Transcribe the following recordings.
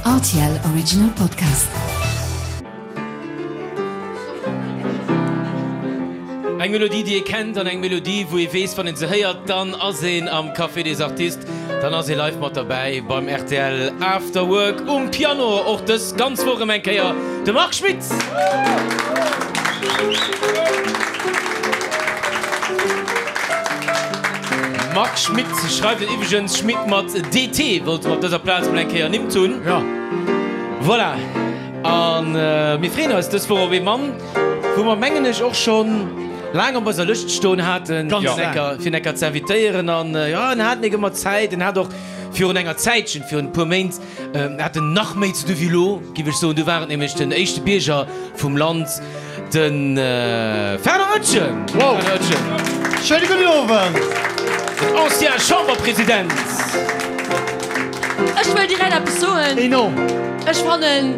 Rtl Original Podcast. Eng Melodie, déi ee kennt an eng Melodie, wou ee weess, wann een se héiert, dann ass een am Café des Artistes, dann ass ee live mat derbäi beim rtl After Work. Um Piano och dës ganz Woch erëm eng Kéier de Marc Schmitt. Marc Schmitt schreift et iwweregens Schmit mat DT, wollte mer op dëser Plaz mol eng Kéier ernimmt hunn. Ja. Voilà. A mir freeën eis dës Woch op ee Mann, wou mer, mengen ech, och schonn laang op eiser Lëscht stoen haten, fir en Ecker ze invitéieren. An jo, en hat nik ëmmer Zäit. En hat och virun enger Zäitchen, virun e puer Méint, hat en nach méi ze du wéi elo, giff ech soen. Du war et nämlech den éischte Bierger vum Land, De Fernand Oetjen! Wow! Schéine gudden Owend! Den ancien Chamberpresident! Ech wëll direkt eppes soen. Enorm! Ech fannen,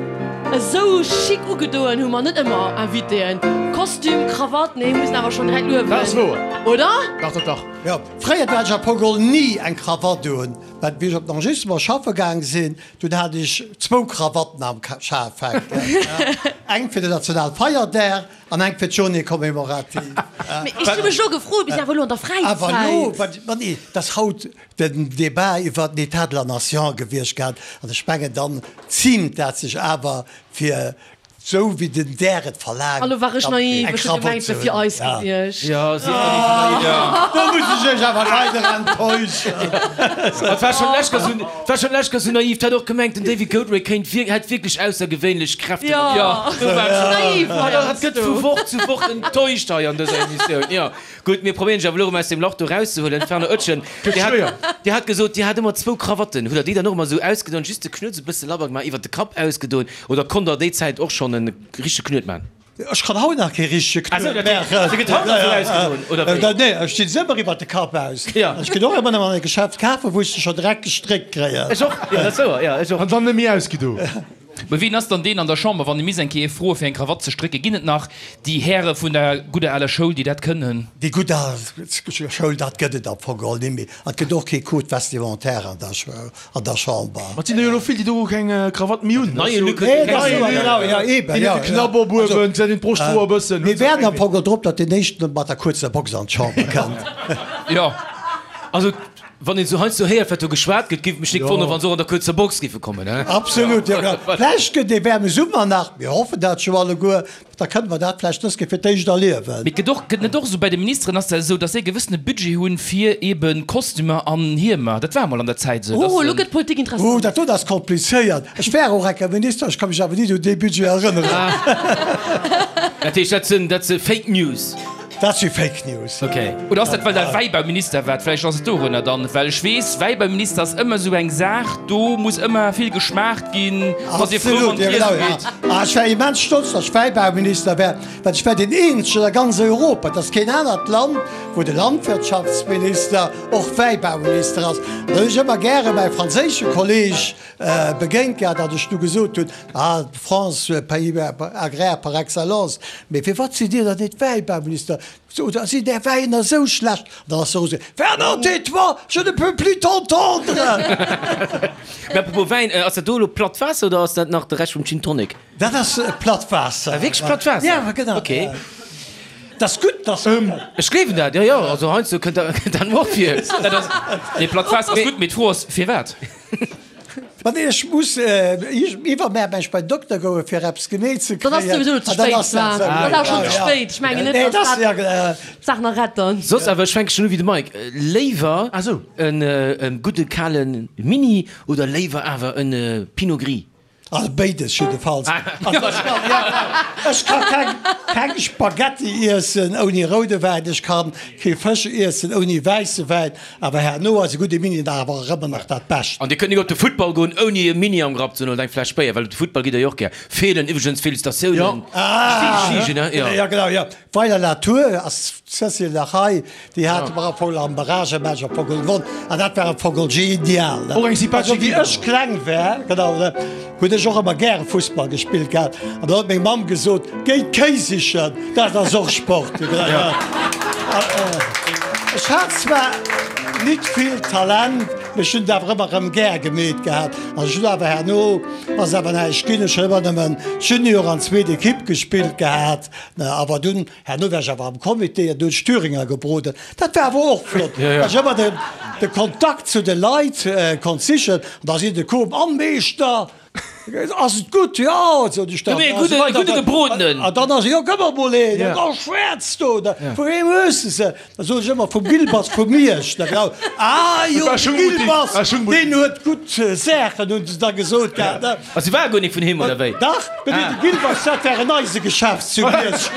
esou chic ugedoen hu mer net ëmmer Invitéen. Kostüm, Krawatt, nee, muss een awer schonn direkt luewen. Dat ass wouer. Oder? Dach, dach, dach. Jo, fréier hat ech am Fong geholl ni eng Krawatt un. Well wéi ech op den Enregistrement schaffe gaang sinn, dunn hat ech zwou Krawatten am Schaf hänken, eng fir den Nationalfeierdag an eng fir d'Journée commémorative. Mee ech hu mech elo gefrot, bis awer elo an der Fräizäit. Awer elo, ma nee, et ass haut den Débat iwwert den État de la Nation gewiescht gehat an ech mengen, dann ziimt dat sech awer fir Sou wéi den Där et verlaangt. Hallo, war ech naiv? Ech hu gemengt, et wier fir eis gewiescht. Jo, sief der nicht naiv. Do muss ech iech awer leider enttäuschen. Et war schon lech sou, et war schon lech sou naiv. 't hat och gemengt, den David Goldray kéint wir, hätt wierklech aussergewéinlech Kräften. Jo, do war ech naiv Et gëtt vu Woch zu Woch enttäuscht hei an dëser Emissioun. Jo. Gutt, mir probéieren dech awer elo erëm aus deem Lach do erauszehuelen. Fernand Oetjen, Dir hat, Dir hat gesot, Dir hat ëmmer zwou Krawatten. Hutt Der déi dann och ëmmer esou ausgedoen, just de Knuet esou e bësse labber gemaach, iwwer de Kapp ausgedoen, oder konnt Der déi Zäit och schonn e richtege Knuet maachen? Ech kann haut nach kee richtege Knuet maachen. Se gëtt haut nach esou ausgedoen, oder wéi? Nee, ech dinn se ëmmer iwwer de Kapp aus. An ech ginn och ëmmer nëmmen an e Geschäft kafen, wou ech se scho direkt gestréckt kréien. Ech och, jo, dat ass wouer, jo, ech och. An dann net méi ausgedo. Mä wien ass dann deen an der Chamber, wann ee misst eng Kéier froe fir eng Krawatt ze strécken? Ginn et nach déi Häre vun der gudder aler Schoul, déi dat kënnen? Déi gutt al Schoul, dat gëtt et am Fong geholl net méi. An et gëtt och kee Code vestimentaire an der Chamber. Ma et sinn der jo elo vill, déi do keng Krawatt méi hunn. Neie Luc huet jo keng Déi huet de Knapp op uewen, gesäit een d'Broschthoer e bëssen. Mir waarden am Fong geholl drop, datt deen éischten mat der kuerzer Box an d'Chamber kënnt. Jo. Also Wann een sou heiansdo héiert, wat do geschwat gëtt, géif et mech nik wonneren, wann se och an der kuerzer Box géife kommen, he? Absolut, jo genau. Vläicht gëtt ee waarme Summer nach, mir hoffen dat jo alleguer, da kënne mer dat vläicht dës Kéier fir d'éischt erliewen. Mee et gëtt och, gëtt net och esou, bei de Ministeren ass dat esou, dass se e gewëssene Budget hunn fir eebe Kostümer an Hiemer. Dat war emol an der Zäit esou, dass Oh, elo se. gëtt d'Politik Oh, interessant. dat do ass komplizéiert. Ech war och enker Minister, ech ka mech awer nit un dee Budget erënneren. Dat heescht, dat sinn, dat si Fake News? Dat si Fake News. Ok. Oder ass dat well der Wäibauminister waart? Vläicht ass et dorunner dann, well ech weess, Wäibauminister ass ëmmer esou eng Saach, do muss ëmmer vill geschmaacht ginn, do ass ee frou wann Absolut, jo d'Iesse genau, ja. geet. Ah, ech war immens stolz, datt ech Wäibauminister war, well ech war deen eenzegen a ganz Europa, et ass keen anert Land, wou de Landwirtschaftsminister och Wäibauminister ass. An da hunn ech ëmmer gäre mäi franséische Kolleeg begéint gehat, datt ech du gesot hunn, Ah, d'France, pays agraire par excellence, mee firwat sidd Dir dann net Wäibauminister? Oder sinn Är Wäiner esou schlecht? An dann ass se erosgaangen, Fernand, tais-toi, je ne peux plus t'entendre! Mee apropos Wäin, ass dat do elo platt Waasser oder ass dat nach de Rescht vum Gin Tonic? Dat ass platt Waasser. Ah, wierklech platt Waasser? Ja, genau. Ok. Dat ass gutt, dass. Ech gleewen dat, jo, jo. Also heiansdo kënnt dat mer och vir. Dat ass, nee, platt Waasser ass gutt, mee d'Fro ass, firwat? Ma nee, ech muss iwwermär mech bei den Dokter goen, fir eppes genee ze Dann ass kréien. souwisou ze An dann spéit, ass dat war. sou. Dat ass schonn ze spéit. Ech mengen net, Nee, dass dat dat ja, d'Saach nach retten. Soss awer, ech fänke schonn u wéi de Mike, léiwer en gudde kale Mini oder léiwer awer en Pinot Gris? Also béides jiddefalls. Also ech kann, ja, ech ka keng, keng Spaghetti iessen ouni roude Wäin, ech kann kee Fësch iessen ouni wäisse Wäin, awer herno ass e gudde Mini nach awer ëmmer nach dat Bescht. An Dir kënnt nik op de Futtball goen ouni e Mini am Grapp ze hunn oder eng Fläsch Béier, well op de Futtball gitt Der jo och gär. Feelen iwwregens Félicitatiounen. Ah, jo. Ja genau, jo. Weiler-la-Tour ass d'Cécile nach hei, déi hate mer am Fong am Barragematch am Fong gewonn an dat war am Fong genial. Och eng sympathesch Also wéi Equipe. ech kleng war, genau, hunn ech och ëmmer gäre Fussball gespillt gehat an da huet meng Mamm gesot, Géi d'Kéi sichen, dat ass och Sport. Ech hat zwar nit vill Talent. Mee ech hunn et awer ëmmer erëm gär gemeet gehat. An ech hunn awer herno, ass awer näischt ginn, ech hunn ëmmer nëmmen Junior an zweet Ekipp gespillt gehat. Awer dunn, herno war ech awer am Comité an do hunn ech Thüringer gebroden. Dat war awer och flott, well ech ëmmer de Kontakt zu de Leit konnt sichen. An da sinn se komm, An Meeschter! Ass et gutt? Jo, sot ech dann. Gëmm mir e gudde gebrodenen. An dann ass e, jo, gëmm mer mol een. An da schwäerz do, vu weem hues de se? Da sot ech ëmmer, vum Gilbas vu Miersch. Da genau, ah jo, de Gilbas, deen huet gutt Saachen, hunn se da gesot gehat. A se war guer nik vun him, oder wéi? Dach, mee de Gilbas, dat war en Eisegeschäft zu Miersch.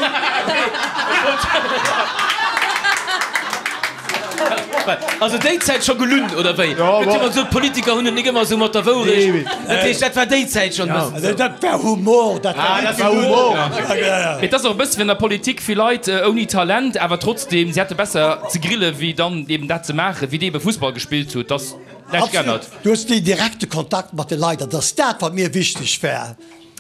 Also déi Zäit scho gelunn, oder wéi? Gëtt jo ëmmer gesot, d'Politiker hunn et nik ëmmer esou mat der Wourecht. Dat heescht, dat war déi Zäit schonn e bëssen esou. Dat war Humor, dat war net Humor. Mee et ass och e bësse wéi an der Politik, vill Leit ouni Talent, awer trotzdem, si hätte besser ze grille wéi dann eben dat ze maachen, wéi déi ebe Fussball gespillt hutt. Dass näischt geännert. Du hues deen direkte Kontakt mat de Leit an dat ass dat, wat mir wichteg war.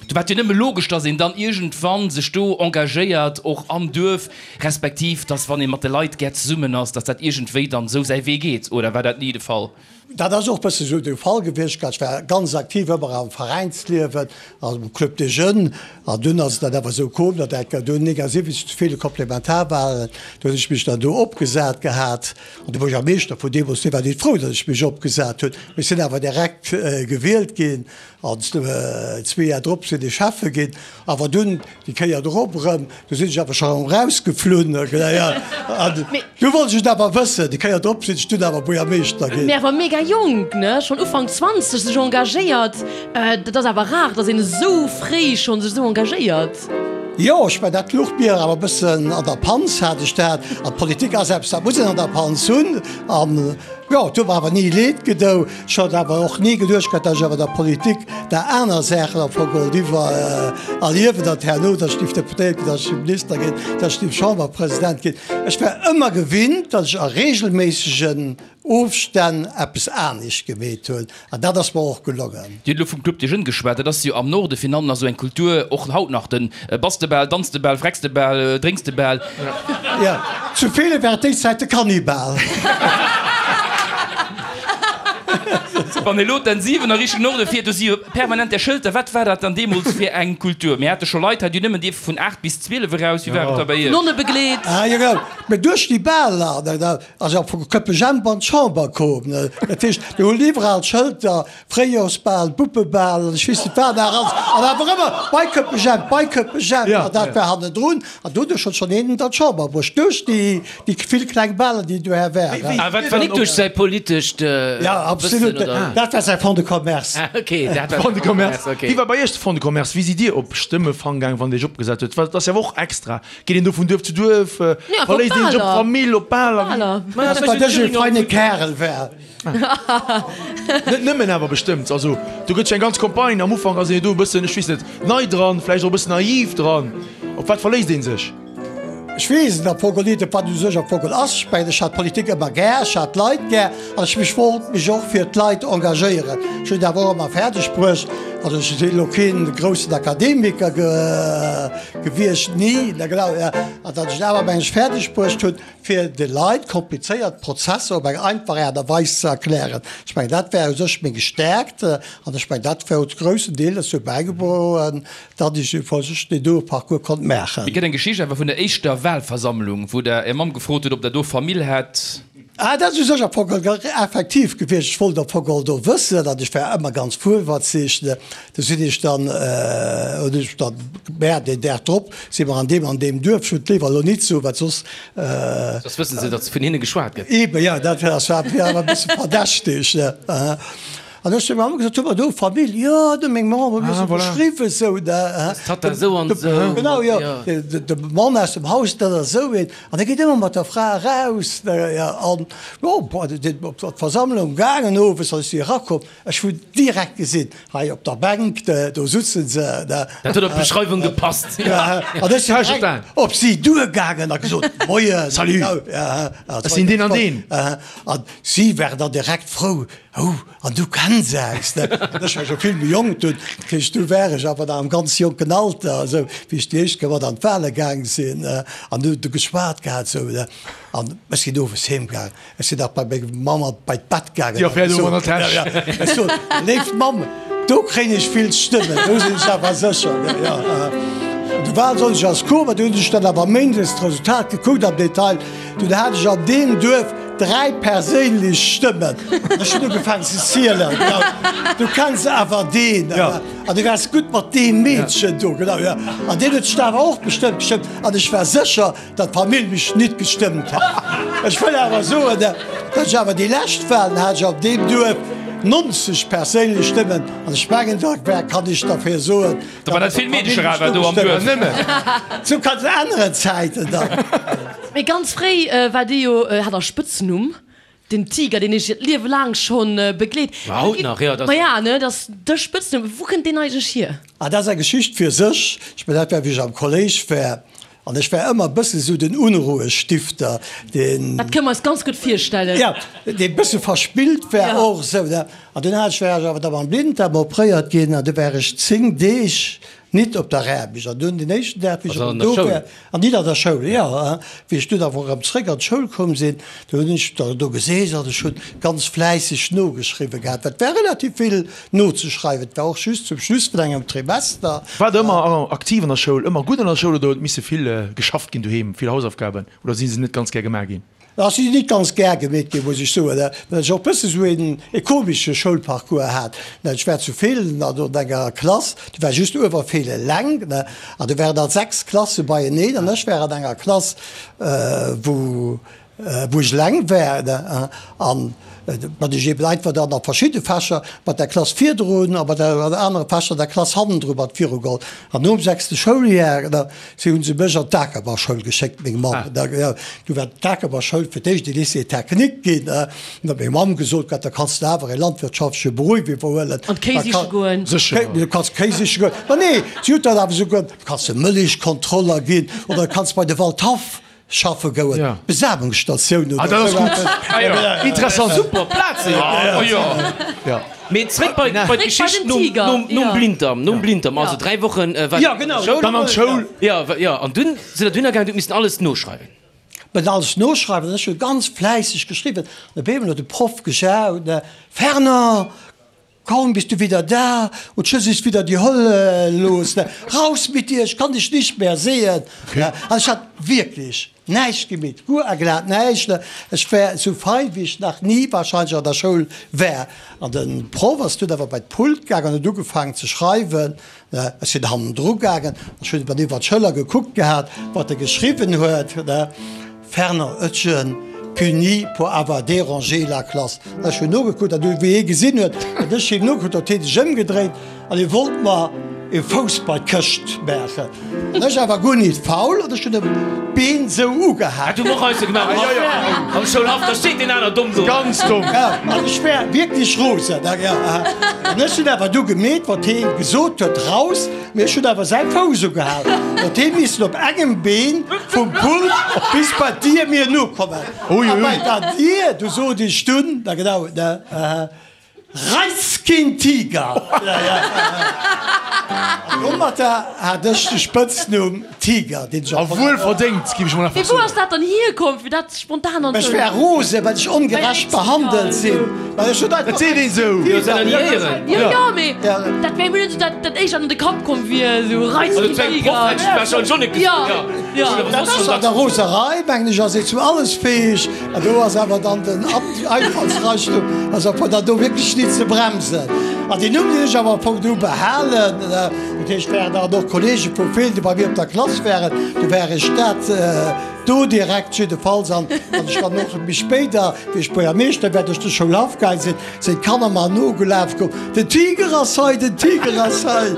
Do war et jo nëmme logesch, dass een dann iergendwann sech do engagéiert, och am Duerf, respektiv dass, wann ee mat de Leit gär zesummen ass, dass dat iergendwéi dann esou säi Wee geet. Oder war dat ni de Fall? Dat ass och e bësse sou de Fall gewiescht. Ech war ganz aktiv ëmmer am Veräinsliewen, am Club des Jeunes. An dunn ass et dann awer esou komm, datt enker do 79 zu ville Komplementarwahlen, do hunn ech mech dann do opgesat gehat. An de Buergermeeschter vun deemools, dee war nit frou, datt ech mech opgesat hunn. Mee ech sinn awer direkt gewielt ginn. An zwee Jar drop sinn ech Schäffe ginn. Awer dunn déi Kéier drop erëm, du sinn ech awer scho erëm erausgeflunn. An du wollt ech et awer wëssen. Déi Kéier drop sinn ech dunn awer Buergermeeschter ginn. Mee awer mega jonk, ne? Schonn Ufank 20 sech engagéiert. Dat ass awer rar, datt een esou fréi schonn sech esou engagéiert. Jo, ech mengen, dat luch mir awer e bëssen an der Panz, hat ech dat. An d'Politik ass eppes, dat muss een an der Panz hunn. An jo, et huet mer awer ni leed gedou. Ech hat awer och ni geduecht gehat, datt ech awer der Politik der aner Saachen am Fong geholl iwwer erliewen, datt herno, datt ech géif Deputéiert ginn, datt ech géif Minister ginn, datt ech géif Chamberpresident ginn. Ech war ëmmer gewinnt, datt ech a regelméissegen Ofstänn eppes anescht gemeet hunn, an dat ass mer och gelongen. Dir hutt elo vum Club des Jeunes geschwat. Dat ass jo am Norde virun allem nach esou eng Kultur, och haut nach, den bass de bal, danz de bal, frecks de bal, drénks de bal. Jo, zu Feelen war et déi Zäit de Kannibal. Wann ee lo d'N 7 a Richtung Norde fiert, do si jo permanent där Schëlter. Wat war dat dann deemools fir eng Kultur? Mir hate scho Leit hei, déi hunn nëmmen dierfe vun 8 bis 12 eraus. Wéi war et da bei iech? Nonne begleet. Ah jo, genau. Mee duerch déi Baler, da ass jo vu Köppejemp an d'Chamber komm. Dat heescht, do hunn iwwerall Schëlter, Fréijorsbal, Buppebal an ech weess net wat nach alles. An awer ëmmer bei Köppejemp, bei Köppejemp. An dat war hannendrun. An doduerch huet schonn een an d'Chamber bruecht, duerch déi vill kleng Baler, déi doher waren. A wat war nik duerch säi politescht Wëssen, oder? Ja, absolut. Dat war säi Fonds de commerce. Ah, okay, dat war Fonds de commerce. Wéi war bei Iech de Fonds de commerce? Wéi sidd Dir op Stëmmefang gaang, wann Dir Iech opgesat hutt? Dat ass jo awer och extra. Geet een do vun Duerf zu Duerf? Verléisst een sech op d'Famill, op Baler? Well ech e feine Kärel war. Net nëmmen awer bestëmmt. Also do gëtt jo eng ganz Campagne. Am Ufank ass een jo do e bëssen, ech weess net, nei dran, vläicht och e bëssen naiv dran. Op wat verléisst ee sech? Ech weess et am Fong net, op wat u sech am Fong ass. Ech mengen, ech hat d'Politik ëmmer gär, ech hat d'Leit gär an ech mech wollt mech och fir d'Leit engagéieren. Ech hunn et awer och ëmmer fäerdeg bruecht, also ech sinn elo keen groussen Akademiker gewiescht, ni, na genau, an datt ech et awer mengen ech fäerdeg bruecht hunn, fir de Leit komplizéiert Prozesser op eng einfach Aart a Weis ze erklären. Ech mengen, dat war u sech meng Stärkt an ech mengen, dat huet groussen Deel dozou bäigedroen, datt ech u sech deen doe Parcours konnt maachen. Mir gëtt eng Geschicht awer vun der éischter Wahlversammlung, wou Der Är Mamm gefrot hutt, ob Der do Famill hätt. Ah, dat ass u sech am Fong effektiv gewiescht. Ech wollt am Fong och do wëssen, an ech war ëmmer ganz fuerwëtzeg. Du sinn ech dann, hunn ech dann gemerkt, deen Dag drop si mer an deem an deem Duerf, ech wëll et léiwer elo nit soen, well soss. Soss wësse se, datt vun hinne geschwat gëtt. Eebe, jo, dat war awer e bësse verdächteg. An ech hu mer gesot, hu mer do Famill? Jo, du meng Mamm huet mir se beschriwwen, esou da. Tatta esou an esou. Genau, jo. De Mann aus dem Haus, dat ass esou een. An e geet ëmmer mat der Fra eraus. An jo, bon, sinn op d'Versammlung gaangen owes, an ech si erakomm, ech hunn direkt gesinn, hei op der Bänk, do sutzen se. Dat huet op d'Beschreiwung gepasst. An ech sinn direkt op si duergaangen a gesot, Moien. Salut. Ech sinn deen an deen. An si waren dann direkt frou. Oh, an du kenns. Immens aus, ne? An ech war scho vill méi jonk dunn, dat heescht, du war ech awer nach am ganz jonken Alter, esou wéi ech déi éischt Kéier mat an d'Wale gaang sinn an du du geschwat gehat esou, ne? An ech sinn owes heem gaang, ech sinn nach bei meng Mamm an bei d'Bett gaangen Déi Affär do an der Täsch. Ech sot, Léif Mamm, do kréien ech vill Stëmmen, do sinn ech awer sécher, ne? Jo. An de Walsonndeg ass komm an du hunn ech dann awer méindes d'Resultat gekuckt am Detail. Dunn hat ech an deem Duerf 3 perséinlech Stëmmen. Ech hunn ugefaangen ze zielen. Genau. Du kenns awer deen. An du waars gutt mat deem Meedchen do. Genau, jo. An deen huet dech awer och bestëmmt gestëmmt. An ech war sécher, datt d'Famill mech nit gestëmmt hat. Ech wëll awer soen, datt ech awer déi lescht Wahlen hat ech an deem Duerf 90 perséinlech Stëmmen. An ech mengen, da kann ech derfir soen, Da war dat vill Meedecher awer do am Duerf. Zu ganz aneren Zäiten dann. Mee ganz fréi war dee jo, hat der Spëtznumm, den Tiger, deen iech hiert Liewe laang schonn begleet. Ma haut nach, jo. Ma ja, ne, dat ass de Spëtznumm. Wou kënnt deen eigentlech hier? Ah, dat ass eng Geschicht fir sech. Ech mengen, dat war, wéi ech am Kolléisch war. An ech war ëmmer e bësse sou den Unruhestifter, deen. Dat kënne mer eis ganz gutt virstellen. Jo, dee bësse verspillt war och esou, ne. An dunn hat ech, war ech awer da mam Blinddarm opréiert ginn an du war ech 10 Deeg nit op der Aarbecht. An dunn den éischten Dag, wéi ech erëm do war, an nit an der Schoul, jo, wéi ech dunn awer erëm zréck an d'Schoul komm sinn, du hunn ech da do geseess an ech hunn ganz fläisseg nogeschriwwe gehat, well et war relativ vill nozeschreiwen. Et war och just zum Schluss vun engem Trimester. Waart der ëmmer aktiv an der Schoul, ëmmer gutt an der Schoul oder huet misse vill geschafft ginn doheem, vill Hausaufgaben oder si se net ganz gär gemaach ginn? Ach, si sinn nit ganz gär gemeet ginn, muss ech soen, well ech och bësse sou een e komesche Schoulparcours hat. Ech war zu Feelen an an enger Klass, déi war just Uewerfeelen eleng, an do waren der 6 Klasse beieneen an ech war an enger Klass, wou wou ech eleng war an mat ech eben einfach dann a verschidde Fächer mat der Klass virdrun a mat der anere Fächer der Klass hannendru mat virugeholl. An nom sechste Schouljar, da si hunn se mech an d'Akerbauschoul geschéckt, meng Mamm. Da du war d'Akerbauschoul fir d'éischt e Lycée technique ginn. An da huet meng Mamm gesot, Gott, da kanns de awer e landwirtschaftleche Beruff iwwerhuelen. An d'Kéi siche goen. Du kanns Kéi siche goen. Ma nee, si huet dat awer esouguer, du kanns e Mëllechkontroller ginn oder du kanns bei de Waldhaff Schaffe gouen, Besamungsstatioun oder esou eppes. Interessant, super Plazen, jo. Mee zréck bei d'Geschicht nom Blinddarm, nom Blinddarm, also 3 Wochen war der an der Schoul. Dann an d'Schoul. Jo, jo, an dunn sidd der dohinner gaangen, hutt missen alles noschreiwen. Mir hunn alles noschreiwen, an ech hu ganz fläisseg geschriwwen. An op eemol huet de Proff gejaut, Fernand, Kaum bist du wieder da und schon ist wieder die Hölle los, ne? Raus mit dir, ich kann dich nicht mehr sehen! Ne? An ech hat wierklech näischt gemeet, guer a glat näischt, ne? Ech war esou fein, wéi ech nach ni wahrscheinlech an der Schoul war. An de Proff ass dunn awer bei d'Pult gaangen an huet ugefaangen ze schreiwen, ne? Ech sinn hannendru gaangen, ech hunn iwwer iwwer d'Schëller gekuckt gehat, wat e geschriwwen huet, ne? Fernand Oetjen, puni pour avoir dérangé la classe. Ech hunn nogekuckt an du wéi hie gesinn huet, datt ech him nogekuckt huet, huet hie sech ëmgedréit an hie wollt mer e Fouss bei d'Këscht maachen. An ech awer guer nit faul an ech hunn em d'Been sou ugehaakt. Dat hu mer och eise gemaach am Schoulhaff, da steet deen aner domm do. Ganz domm. An ech war wierklech rosen. An ech hunn awer du gemeet, wat hie gesot huet, raus. Mee ech hunn awer säi Fouss ugehal, huet hie missen op engem Been vum Pult bis bei d'Dier mir nokommen. A bei der Dier, du sot ech dunn, na genau, ne, Reiß keen Tiger! An domatter hat ech de Spëtznumm Tiger, deen ech A wuel verdéngt, géif ech mol einfach Mee wou soen. ass dat dann hierkomm, fir dat spontan an Ech war rosen, well ech ongerecht behandelt sinn. Well ech hunn einfach. Dat seet een esou. Jo, säin Éieren. Jo, jo, mee dat wär mir net esou dat, dat éischt, wat an de Kapp komm wier, esou Reiz Also, zu engem Proff hätt ech warscheinlech och net gesot, jo. Jo, jo. Dat ass an der Roserei, mengen ech, ass ee zu alles fäeg. An do ass awer dann den Einfallsreichtum ass awer dann do wierklech nit ze bremsen. An deen Numm, deen ech awer am Fong du behalen, dat heescht, waren dann och Kollege vu Feelen, déi bei mir op der Klass waren, du war ech dat do direkt jiddefalls. An wann ech dann och méi spéider, wéi ech Buergermeeschter war, duerch de Schoulhaff gaang sinn, sinn d'Kanner mer nogelaf komm, Den Tiger ass hei, den Tiger ass hei!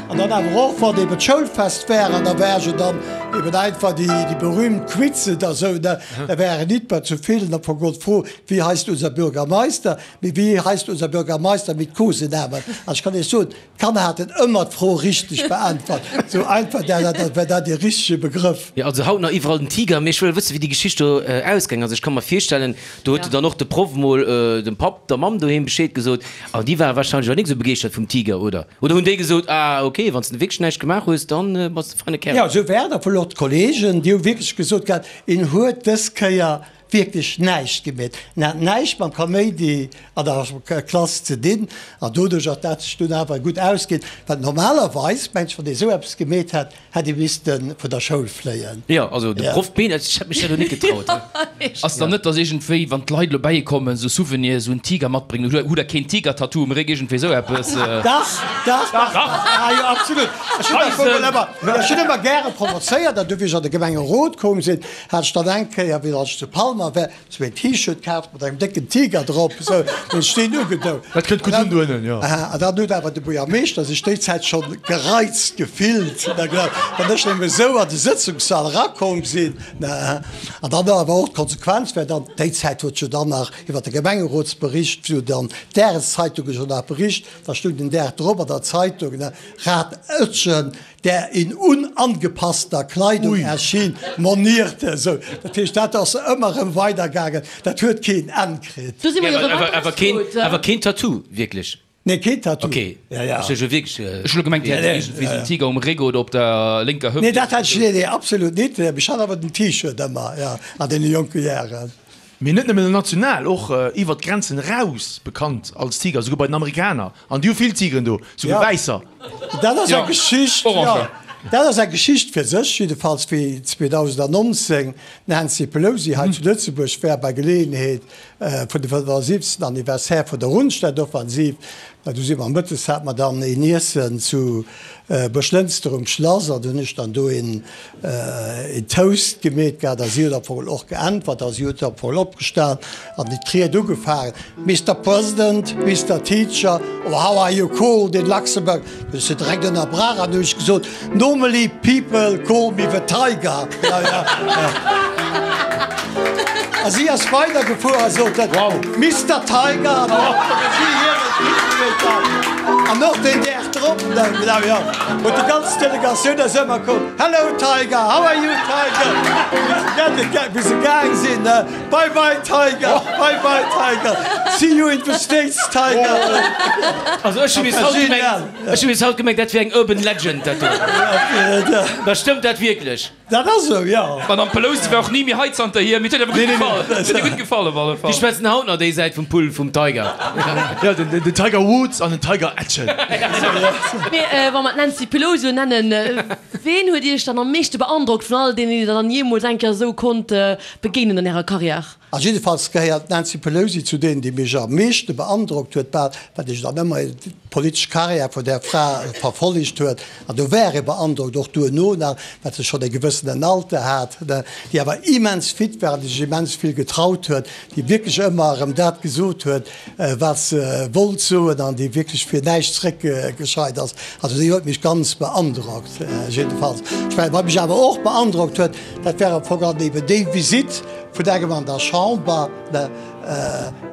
An dann awer och, wann eben d'Schoulfest war, an da war se dann eben einfach déi, déi berühmt Quizen da sou, ne, da waren nit mer zu vill, da vergoll d'Fro, Wie heißt unser Bürgermeister? Mee wie heißt unser Bürgermeister mit Kosenamen? An ech kann Iech soen, D'Kanner haten ëmmer d'Fro richteg beäntwert. Sou einfach, dat war dat dee richtege Begrëff. Jo, also haut nach iwwerall den. dem Tiger, mee ech wëll wëssen, wéi déi Geschicht do ausgaang ass. Ech ka mer virstellen, do huet dann och de Proff mol dem Papp, der Mamm doheem Bescheed gesot an déi ware warscheinlech och nik esou begeeschtert vum Tiger, oder? Oder hunn déi gesot, ah ok, wann s de wierklech näischt gemaach hues, dann bass de feine Kerl? Jo, esou war et. A vun och d'Kollegen, déi hu wierklech gesot gehat, en huet dës Kéier wierklech näischt gemeet. En hat näischt mam Kaméidi an der Klass ze dinn an doduerch ass dat sech dunn awer gutt ausginn, well normalerweis, mengt ech, wann ee esou eppes gemeet hätt, hätt ee misste vun der Schoul fléien. Jo, also de Proff Been, ech hätt mech dat elo net getraut. Ass dann net, dass iergendwéi, wann d'Leit elo bäi kommen, esou Souvenirs, esou en Tiger matbréngen, hutt Der keen Tiger-Tattoo um Réck, iergendwéi esou eppes? Dach, dach, dach, ah jo, absolut. Ech hunn dat wuel ëmmer, ech hunn ëmmer gäre provozéiert an du wéi ech an de Gemengerot koum sinn, hat ech dann eng Kéier, wéi ech zu Palmer war, sou een T-Shirt kaaft mat engem décken Tiger drop, sou hunn ech deen ugedoun. Dat kënnt gutt un dohennen, jo. An dann huet awer de Buergermeeschter sech déi Zäit schonn gereizt gefillt, wann ech nëmme sou an de Sëtzungssall erakomm sinn. An dann awer och d'Konsequenz war dann, déi Zäit huet jo dann nach iwwer de Gemengerotsbericht, wou dann d'Dageszeitunge jo nach bericht, da stoung den Dag drop an der Zeitung, Rat Oetjen, der in unangepasster Kleidung erschien, monierte. Esou, dat heescht, dat ass ëmmer erëm weidergaangen, dat huet keen Enn kritt. Do si mer jo erëm Awer keen, awer keen Tattoo, wierklech? Nee, keen Tattoo. Ok, ech hu jo wierklech. Ech hu lo gemengt, Dir hätt iergendwéi esou en Tiger um Réck oder op der lénker Hëft. Nee, dat hat ech, nee, nee, absolut nit. Mee ech hat awer den T-Shirt ëmmer, jo, an deene jonke Jaren. Mee net nëmmen national, och iwwert d'Grenzen eraus bekannt als Tiger, souguer bei den Amerikaner. An déi hu vill Tigeren do, souguer wäisser. Dat ass eng Geschicht, jo, dat ass eng Geschicht fir sech. Jiddefalls wéi 2019 d'Nancy Pelosi hei zu Lëtzebuerg war bei Geleeënheet vun dem 75. Anniversaire vun der Rundstedtoffensiv, du si mer mëttes, hate mer dann een Iessen zu Buerglënster um Schlass an du hunn ech dann do een een Toast gemeet gehat a si huet am Fong och geäntwert a si huet am Fong opgestan an déi d'Ried ugefaangen, Mister President, Mister Teacher, or how are you called in Luxembourg? Du hues se direkt ënnerbrach an du hues gesot, Normally people call me the tiger. Ja, ja, ja. A si ass weidergefuer a sot dann, Mister Tiger, an dann huet si hiren Titel gemeet gehat an och deen Dag drop, genau, jo, huet déi ganz Delegatioun ass ëmmer komm, Hello Tiger, how are you Tiger? Wéi se gaang sinn, Bye bye Tiger, bye bye Tiger, see you in the States Tiger. Also ech hu bis haut gemengt, ech hu bis haut gemengt, dat wier eng urban legend dat do. Da stëmmt dat wierklech? Dat ass esou, jo. D'Madame Pelosi war och ni méi hei zanterhier, mee et huet awer gutt gefall. Et huet hir gutt gefall op alle Fall. Déi schwätzen haut nach déi Säit vum Pull vum Tiger. Jo, den Tiger Woods an den Tiger Etchen. Mee wa mer d'Nancy Pelosi elo nennen, ween huet Iech dann am meeschte beandrockt vun all deenen, déi Der dann jeemools eng Kéier esou konnt begéinen an Ärer Karriär? A jiddefalls gehéiert d'Nancy Pelosi zu deenen, déi mech am meeschte beandrockt huet, bal, well ech dann ëmmer d'politesch Karriär vun där Fra verfollegt huet. An do war ee beandrockt, och duerno nach, well se schonn e gewëssenen Alter hat, déi awer immens fit war an déi sech immens vill getraut huet, déi wierklech ëmmer erëm dat gesot huet, wat se wollt soen an déi wierklech fir näischt zréckgescheit ass. Also déi huet mech ganz beandrockt jiddefalls. Ech mengen, wat mech awer och beandrockt huet, dat war am Fong dann eben déi Visitt, Vun engem an der Chamber,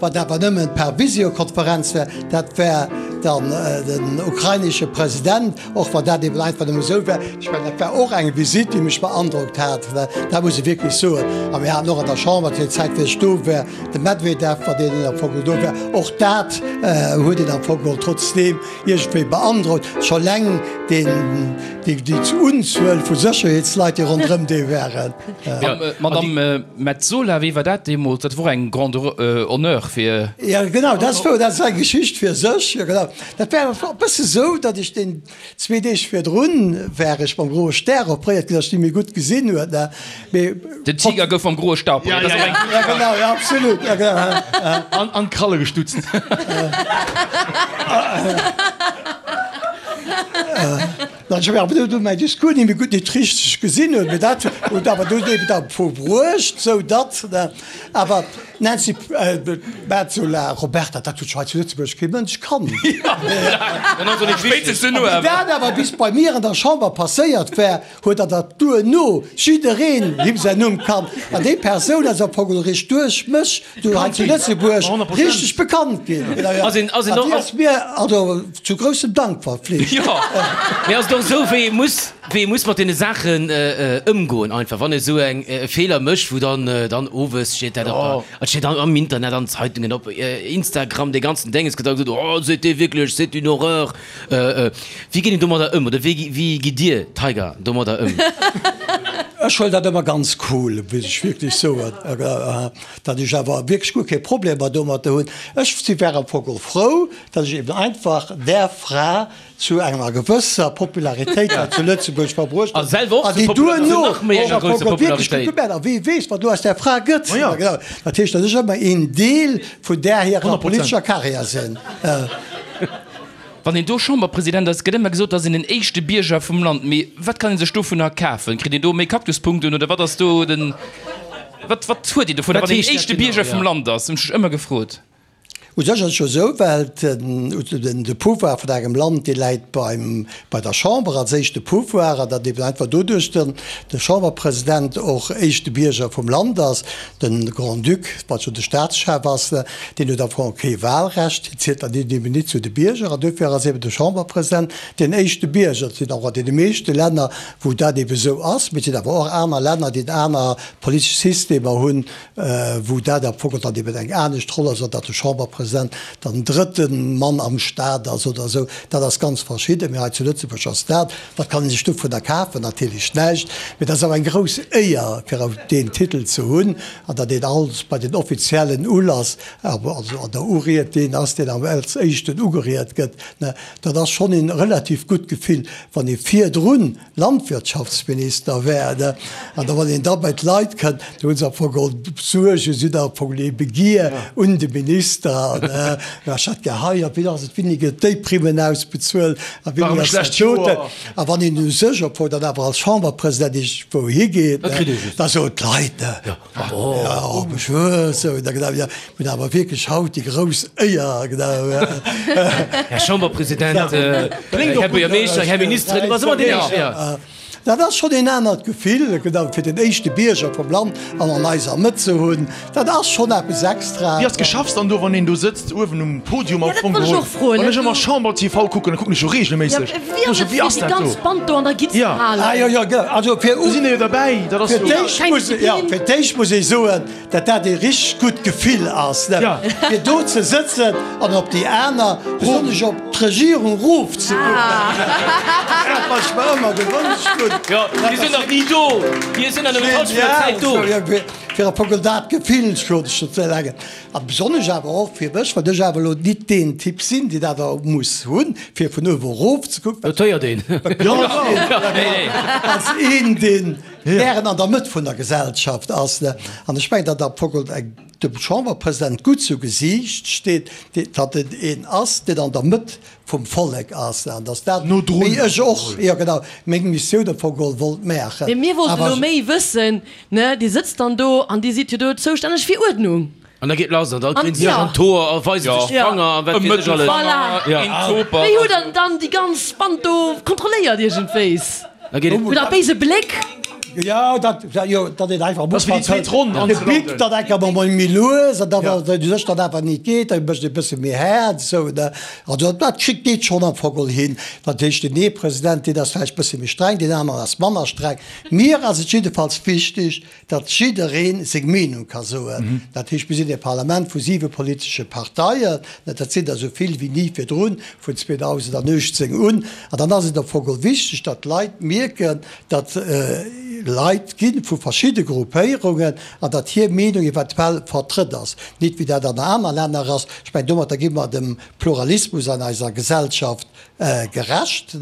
wat awer nëmmen per Visiokonferenz war, dat war dann den ukrainesche President, och wann dat eben einfach nëmme esou war. Ech mengen, dat war och eng Visitt, déi mech beandrockt hat, dat muss ech wierklech soen. A mir haten och an der Chamber, zu der Zäit wéi ech do war, de Medwedew, wann deen am Fong do war. Och dat huet een am Fong geholl trotzdeem iergendwéi beandrockt, scho eleng deen, déi Unzuel vu Sécherheetsleit, déi ronderëm dee waren. Madame Metsola, wéi war dat deemools? Dat wor eng grande honneur fir. Jo genau, dat wor, dat ass eng Geschicht fir sech. Jo genau, dat war e bësse sou, datt ech deen zwee Deeg virdrun war ech mam groe Stär opréiert ginn, datt ech ni méi gutt gesinn huet, ne, mee. Den Tiger gouf mam groe Stär opréiert, dat ass och eng. Jo genau, jo absolut, jo genau. An an d'Kralle gestutzt. Ech hu awer dunn mäin Discours ni méi gutt, nit richteg gesinn hunn, mee dat huet awer dunn eben da verbruecht, sou datt awer. D'Nancy Metsola, Roberta, dat huet scho hei zu Lëtzebuerg kee Mënsch kannt. Spéitstens duerno Wéi awer. dat awer bis bei mir an der Chamber passéiert war, huet der dat duerno jiddereen him säin Numm kannt. An déi Persoun ass am Fong eréischt duerch mech do hei zu Lëtzebuerg richteg bekannt ginn. Ass een, ass een An och, déi ass mir also zu groussem Dank verflicht. Jo. Mee ass et och esou, wéi ee muss, wéi ee muss mat deene Saachen ëmgoen einfach, wann ee sou eng e Feeler mécht, wou dann, dann owes steet dat op der, et steet dann am Internet, an Zeitungen, op Instagram, dee ganzen Dénges gëtt da gesot, oh c'était wierklech, c'est une horreur. Wéi geet een domadder ëm oder wéi, wéi gitt Dir, Tiger, domadder ëm? Ech huelen dat ëmmer ganz cool, muss ech wierklech soen, datt ech awer wierklech guer kee Problemer domadder hunn. Ech si war am Fong och frou, datt ech eben einfach där Fra zu enger gewësser Popularitéit hei zu Lëtzebuerg verbruecht A selwer och an déi zu Popula- zu duerno nach méi och enger am Fong grousser och wierklech gutt Popularitéit. gemaach. A wee weess, wat elo aus där Fra gëtt. Ma ja. Genau. Dat heescht, datt ech ëmmer een Deel vun där hirer 100%. politescher Karriär sinn. Wann een do Chamberpresident ass, gëtt ëmmer gesot, dass een den éischte Bierger vum Land. Mee wat kann ee sech dovunner kafen? Kritt een do méi Kaktuspunkten oder wat ass do den, wat, wat huet een dovunner, Wat wann een heescht dat éischte genau, Bierger ja? vum Land ass? Hunn ech mech ëmmer gefrot. U sech ass et jo esou, well de Pouvoir vun engem Land, dee läit beim, bei der Chamber als éischte Pouvoir, an datt eben einfach doduerch den de Chamberpresident och éischte Bierger vum Land ass. De Grand-Duc, wat jo de Staatschef ass, deen huet am Fong kee Wahlrecht, hien zielt dann eben nit zu de Bierger, an duerfir ass eben de Chamberpresident deen éischte Bierger. Et sinn och an deene meeschte Länner, wou dat eben esou ass, mee et sinn awer och aner Länner, déi aner politesch Systemer hunn, wou dat am Fong dann eben eng anescht Roll ass, oder datt de Chamberpresident dann drëtte Mann am Staat ass oder esou. Dat ass ganz verschidden, mee hei zu Lëtzebuerg ass dat. Wat kann ee sech dovunner kafen? Natierlech näischt, mee dat ass awer eng grouss Éier, fir deen Titel ze hunn an datt een alt bei den offiziellen Ulass, also an der Uried, deen ass, deen als éischten ugeriet gëtt. Dat ass schonn een relativ gutt Gefill, wann ee virdrun Landwirtschaftsminister wär, ne? An da wann een da bei d'Leit kënnt, do hu se am Fong geholl Suergen, si hunn am Fong ee Begier un de Minister, ne? Jo, ech hätt gär hei, a wéi ass et, wéini gëtt déi Primmen ausbezuelt a wéini ass dat doten? A wann een u sech am Fong dann awer als Chamberpresident iergendwou higeet, ne, da soen d'Leit, ne, Jo, bonjour, sou, da genau, jo, mir hunn awer wierklech haut déi grouss Éier, genau. Här Chamberpresident, Här Buergermeeschter, Här Ministeren, du bass ëmmer deen Éischte, jo. Dat ass schonn een anert Gefill, genau, fir den éischte Bierger vum Land an an eiser Mëtt ze hunn, dat ass schonn eppes extra. Wéi ass d'Geschäfts dann do, wann een do sëtzt uewen um Podium am Ja, dat Fong wollt ech geholl? och froen. Wann ech ëmmer Chamber TV kucken, da kucken ech jo reegelméisseg. Ja, wéi ass et Wéi fir ass déi dat ganz do? Band do an der Gitt ze Ja. halen? Ah jo, jo, genau. Also fir Do sinn der jo derbäi, dat ass Fir jo. d'éischt Keng muss, ja, Disziplin. fir d'éischt muss ee soen, datt dat ee richteg gutt Gefill ass, ne? Ja. Fir do ze sëtzen an op déi aner, besonnesch op d'Regierung rofzekucken. Dat, wat ech mer ëmmer gewënscht hunn. Jo, déi sinn nach ni do. Déi sinn an nëmmen d'Halschent vun der Zäit do. Fir am Fong dat Gefill schonn ze erlaangen. A besonnesch awer och fir mech, well ech awer elo nit deen Typ sinn, deen dat awer muss hunn, fir vun uewe erof ze kucken. Dat héiert een. Als een, deen gären an der Mëtt vun der Gesellschaft ass. An ech mengen, datt am Fong dem Chamberpresident gutt zu Gesiicht steet, datt en een ass, deen an der Mëtt vum Vollek ass, an datt dat, wéi ech och, jo genau, meng Missioun am Fong geholl wollt maachen. Mee mir wollten elo méi wëssen, ne, Dir sëtzt dann do an Dir sidd jo do zoustänneg fir Uerdnung. An da geet lass an da kréien se sech ja. an d'Hoer a weise sech d'Fanger a wat weess ech alles. Voilà. Ja. Wéi hutt Der dann déi ganz Band do kontrolléiert iergendwéis? Da geet et. Hutt Der e béise Bléck? Jo, dat, jo, dat een einfach am Ass wéi déi Ufank zweet Ronn de Bic anzelanden. dann enker mol méi lues an da wann et u sech dann awer nit geet, da mécht ee bësse méi haart esou, ne. Also dat kritt, geet schonn am Fong geholl hin. Dat heescht, deen ee President, deen ass vläicht bësse méi streng, deen aneren ass manner streng. Mir ass et jiddefalls wichteg, datt jidderee seng Meenung ka soen. Dat heescht, mir sinn e Parlament vu siwe politesche Parteien, dat sinn der esou vill wéi ni virdrun, vun 2018 un. An dann ass et am Fong geholl wichteg, datt d'Leit mierken, datt Leit gi vu verschidde Gruppéierungen an datt hir Meenung eventuell vertrëtt ass. Nit wéi dat an aner Länner ass. Ech mengen, domatter gi mer dem Pluralismus an eiser Gesellschaft. Gerecht.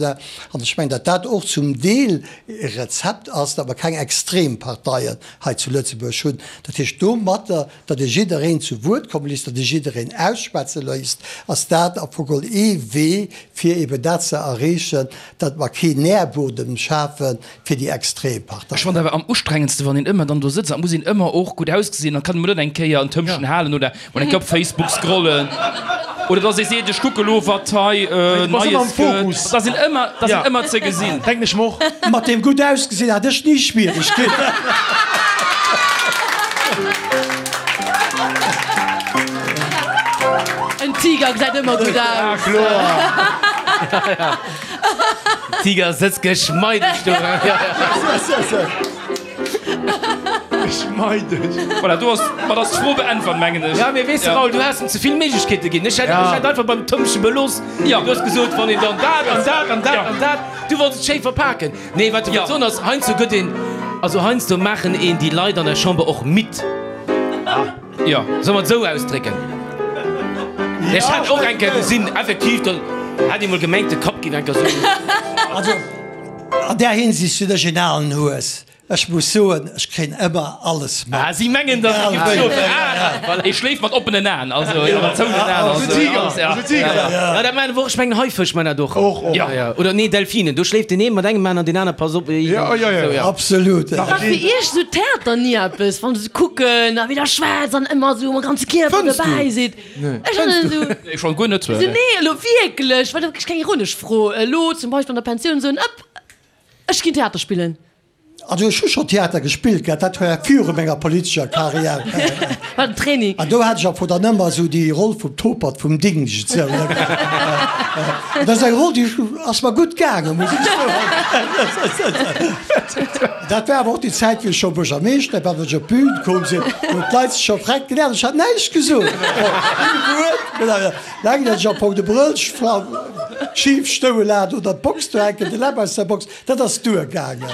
An ech mengen, datt dat och zum Deel e Rezept ass, datt mer keng extrem Parteien hei zu Lëtzebuerg hunn. Dat heescht domatter, datt ee jiddereen zu Wuert komme léisst, datt ee jiddereen ausschwätze léisst, ass dat am Fong geholl ee Wee, fir eben dat ze erreechen, datt mer keen Nährboden schafe fir déi extrem Parteien. Ech fannen awer am ustrengendste wann een ëmmer dann do sëtzt an et muss een ëmmer och gutt ausgesinn, dann kann een mol net eng Kéier en Tëmpchen halen oder mol eng Kéier op Facebook scrollen oder dass ee seet ech kucke lo wat hei Neies gëtt, dass een ëmmer, dass een ëmmer ze gesinn. Denken ech mer och. Mat deem gutt ausgesinn hat ech ni Schwieregkeeten. En Tiger gesäit ëmmer gutt aus. Tiger sëtzt geschmeideg do. Geschmeideg. Voilà, do ass, mat ass d'Fro beäntwert, mengen ech. Ja, mee weess de, Raoul, du has em ze vill Méiglechkeete ginn. Ech hätt, ech hätt einfach beim Tëmpche belooss. Ja. Du hues gesot, wann een dann dat an dat an dat an dat. Du wollts et schéi verpaken. Nee, wat ech wollt soen ass, heiansdo gëtt een, also heiansdo maachen een déi Leit an der Chamber och midd. Jo. Solle mer et esou ausdrécken? Ech hat och eng Kéier gesinn, effektiv, do hat ee mol gemengt, de Kapp géif eng Kéier esou. Also an där Hinsicht sinn ech een alen Hues. Ech muss soen, ech kréien ëmmer alles mat. Ah, si mengen, datt et géif schlofen. Ah, voilà. Ee schléift mat oppenen Aen, also jo, mat zouenen Aen, also alles, ja. Ja, dat maachen och, ech mengen Haifësch maachen dat och. Och, och. Ja, ja. Oder nee, Delfinen, do schléift deen ee mat engem Aen an deen aner passt op. Ja, ja, ja. Absolut. War fir iech esou Theater ni eppes, wann se kucken a wéi der schwätzt an ëmmer esou mam ganze Kierper Fënns du? dobäi sidd? Ech fannen esou. Nee, schon guer net. Esou, nee, elo wierklech, well dat ass keng ironesch Fro. Elo zum Beispill an der Pensioun soen, ëpp, ech ginn Theater spillen. Also ech hu scho Theater gespillt gehat, dat war viru menger politescher Karriär. War den Training. An do hat ech am Fong dann ëmmer esou déi Roll vum Topert vum Dingscht esou. Dat ass eng Roll, déi ass mer gutt gaangen, muss ech soen. Dat war awer och déi Zäit, wéi ech scho Buergermeeschter war, wou ech op d'Bün komm sinn, hunn d'Leit sech scho vreckt gelaacht, ech hat näischt gesot. Kee Wuert. Laang datt ech am Fong de Brëll schif stoe hat oder d'Box do hänken, de Läb aus der Box. Dat ass duergaangen.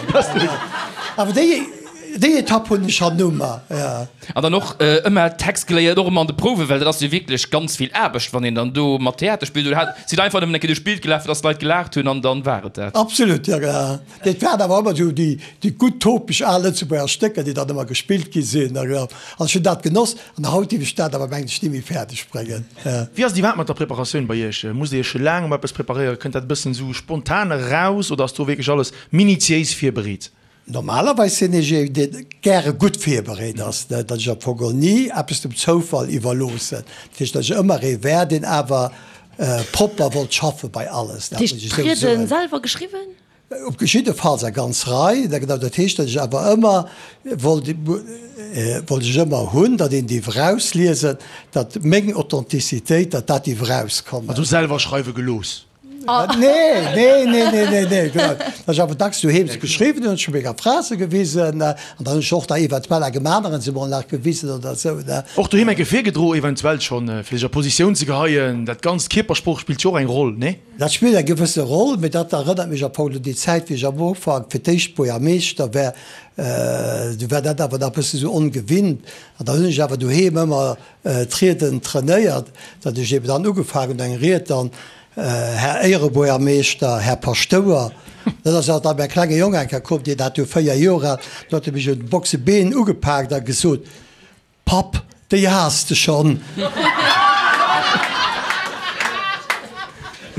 Awer déi, déi Etapp hunn ech hannummer, jo. An dann och ëmmer Text geléiert, och ëmmer an de Prouwen, well dat ass jo wierklech ganz vill Aarbecht, wann een dann do mat Theater spillt. Oder hat, sidd einfach nëmmen eng Kéier duerch d'Bild gelaf, fir dass d'Leit gelaacht hunn an dann war et dat? Absolut, jo, genau. Dat waren awer ëmmer esou déi, déi gutt topesch al Lëtzebuerger Stécker, déi dann ëmmer gespillt gi sinn. An ech hunn dat genoss. An haut géif ech dat awer, mengen ech, ni méi fäerdeg bréngen. Wéi ass et iwwerhaapt mat der Preparatioun bei Iech? Musst Dir Iech laang op eppes preparéieren? Kënnt dat e bëssen esou spontan eraus oder ass do wierklech alles minutiéis virbereet? Normalerweis sinn ech een, dee gäre gutt virbereet ass, datt ech am Fong geholl ni eppes dem Zoufall iwwerloossen. Dat heescht, datt ech ëmmer ee war, deen awer propper wollt schaffe bei alles. Dat heescht, d'Rieden selwer geschriwwen? Op jiddefalls eng ganz Rei. Dat heescht, datt ech awer ëmmer wollt, wollt ech ëmmer hunn, datt een dierf erausliesen, datt meng Authentizitéit, datt dat dierf erauskommen. Also selwer schreiwe gelooss? Nee, nee, nee, nee, nee, nee. Datt ech awer dacks doheem se geschriwwen hunn, ech hu menger Fra se gewisen an dann hunn ech och da eventuell engem aneren se mol nach gewisen oder esou. Och doheem eng Kéier virgedroe eventuell schonn, fir sech a Positioun ze geheien. Dat Ganzt, Kierpersprooch spillt jo och eng Roll, nee? Dat spillt eng gewësse Roll, mee dat erënnert mech am Fong un déi Zäit, wéi ech am Ufank fir d'éischt Buergermeeschter war. Du war dat awer nach e bësse sou ongewinnt. An da hunn ech awer doheem ëmmer d'Rieden trainéiert, datt ech eben dann ugefaangen hunn eng Ried dann, Här Éierebuergermeeschter, Här Paschtouer. Dat ass awer dann mäi klenge Jong eng Kéier komm, deen hat du 4 Joer al, do huet e mech un de Boxebeen ugepaakt a gesot, Papp, déi has de schonn.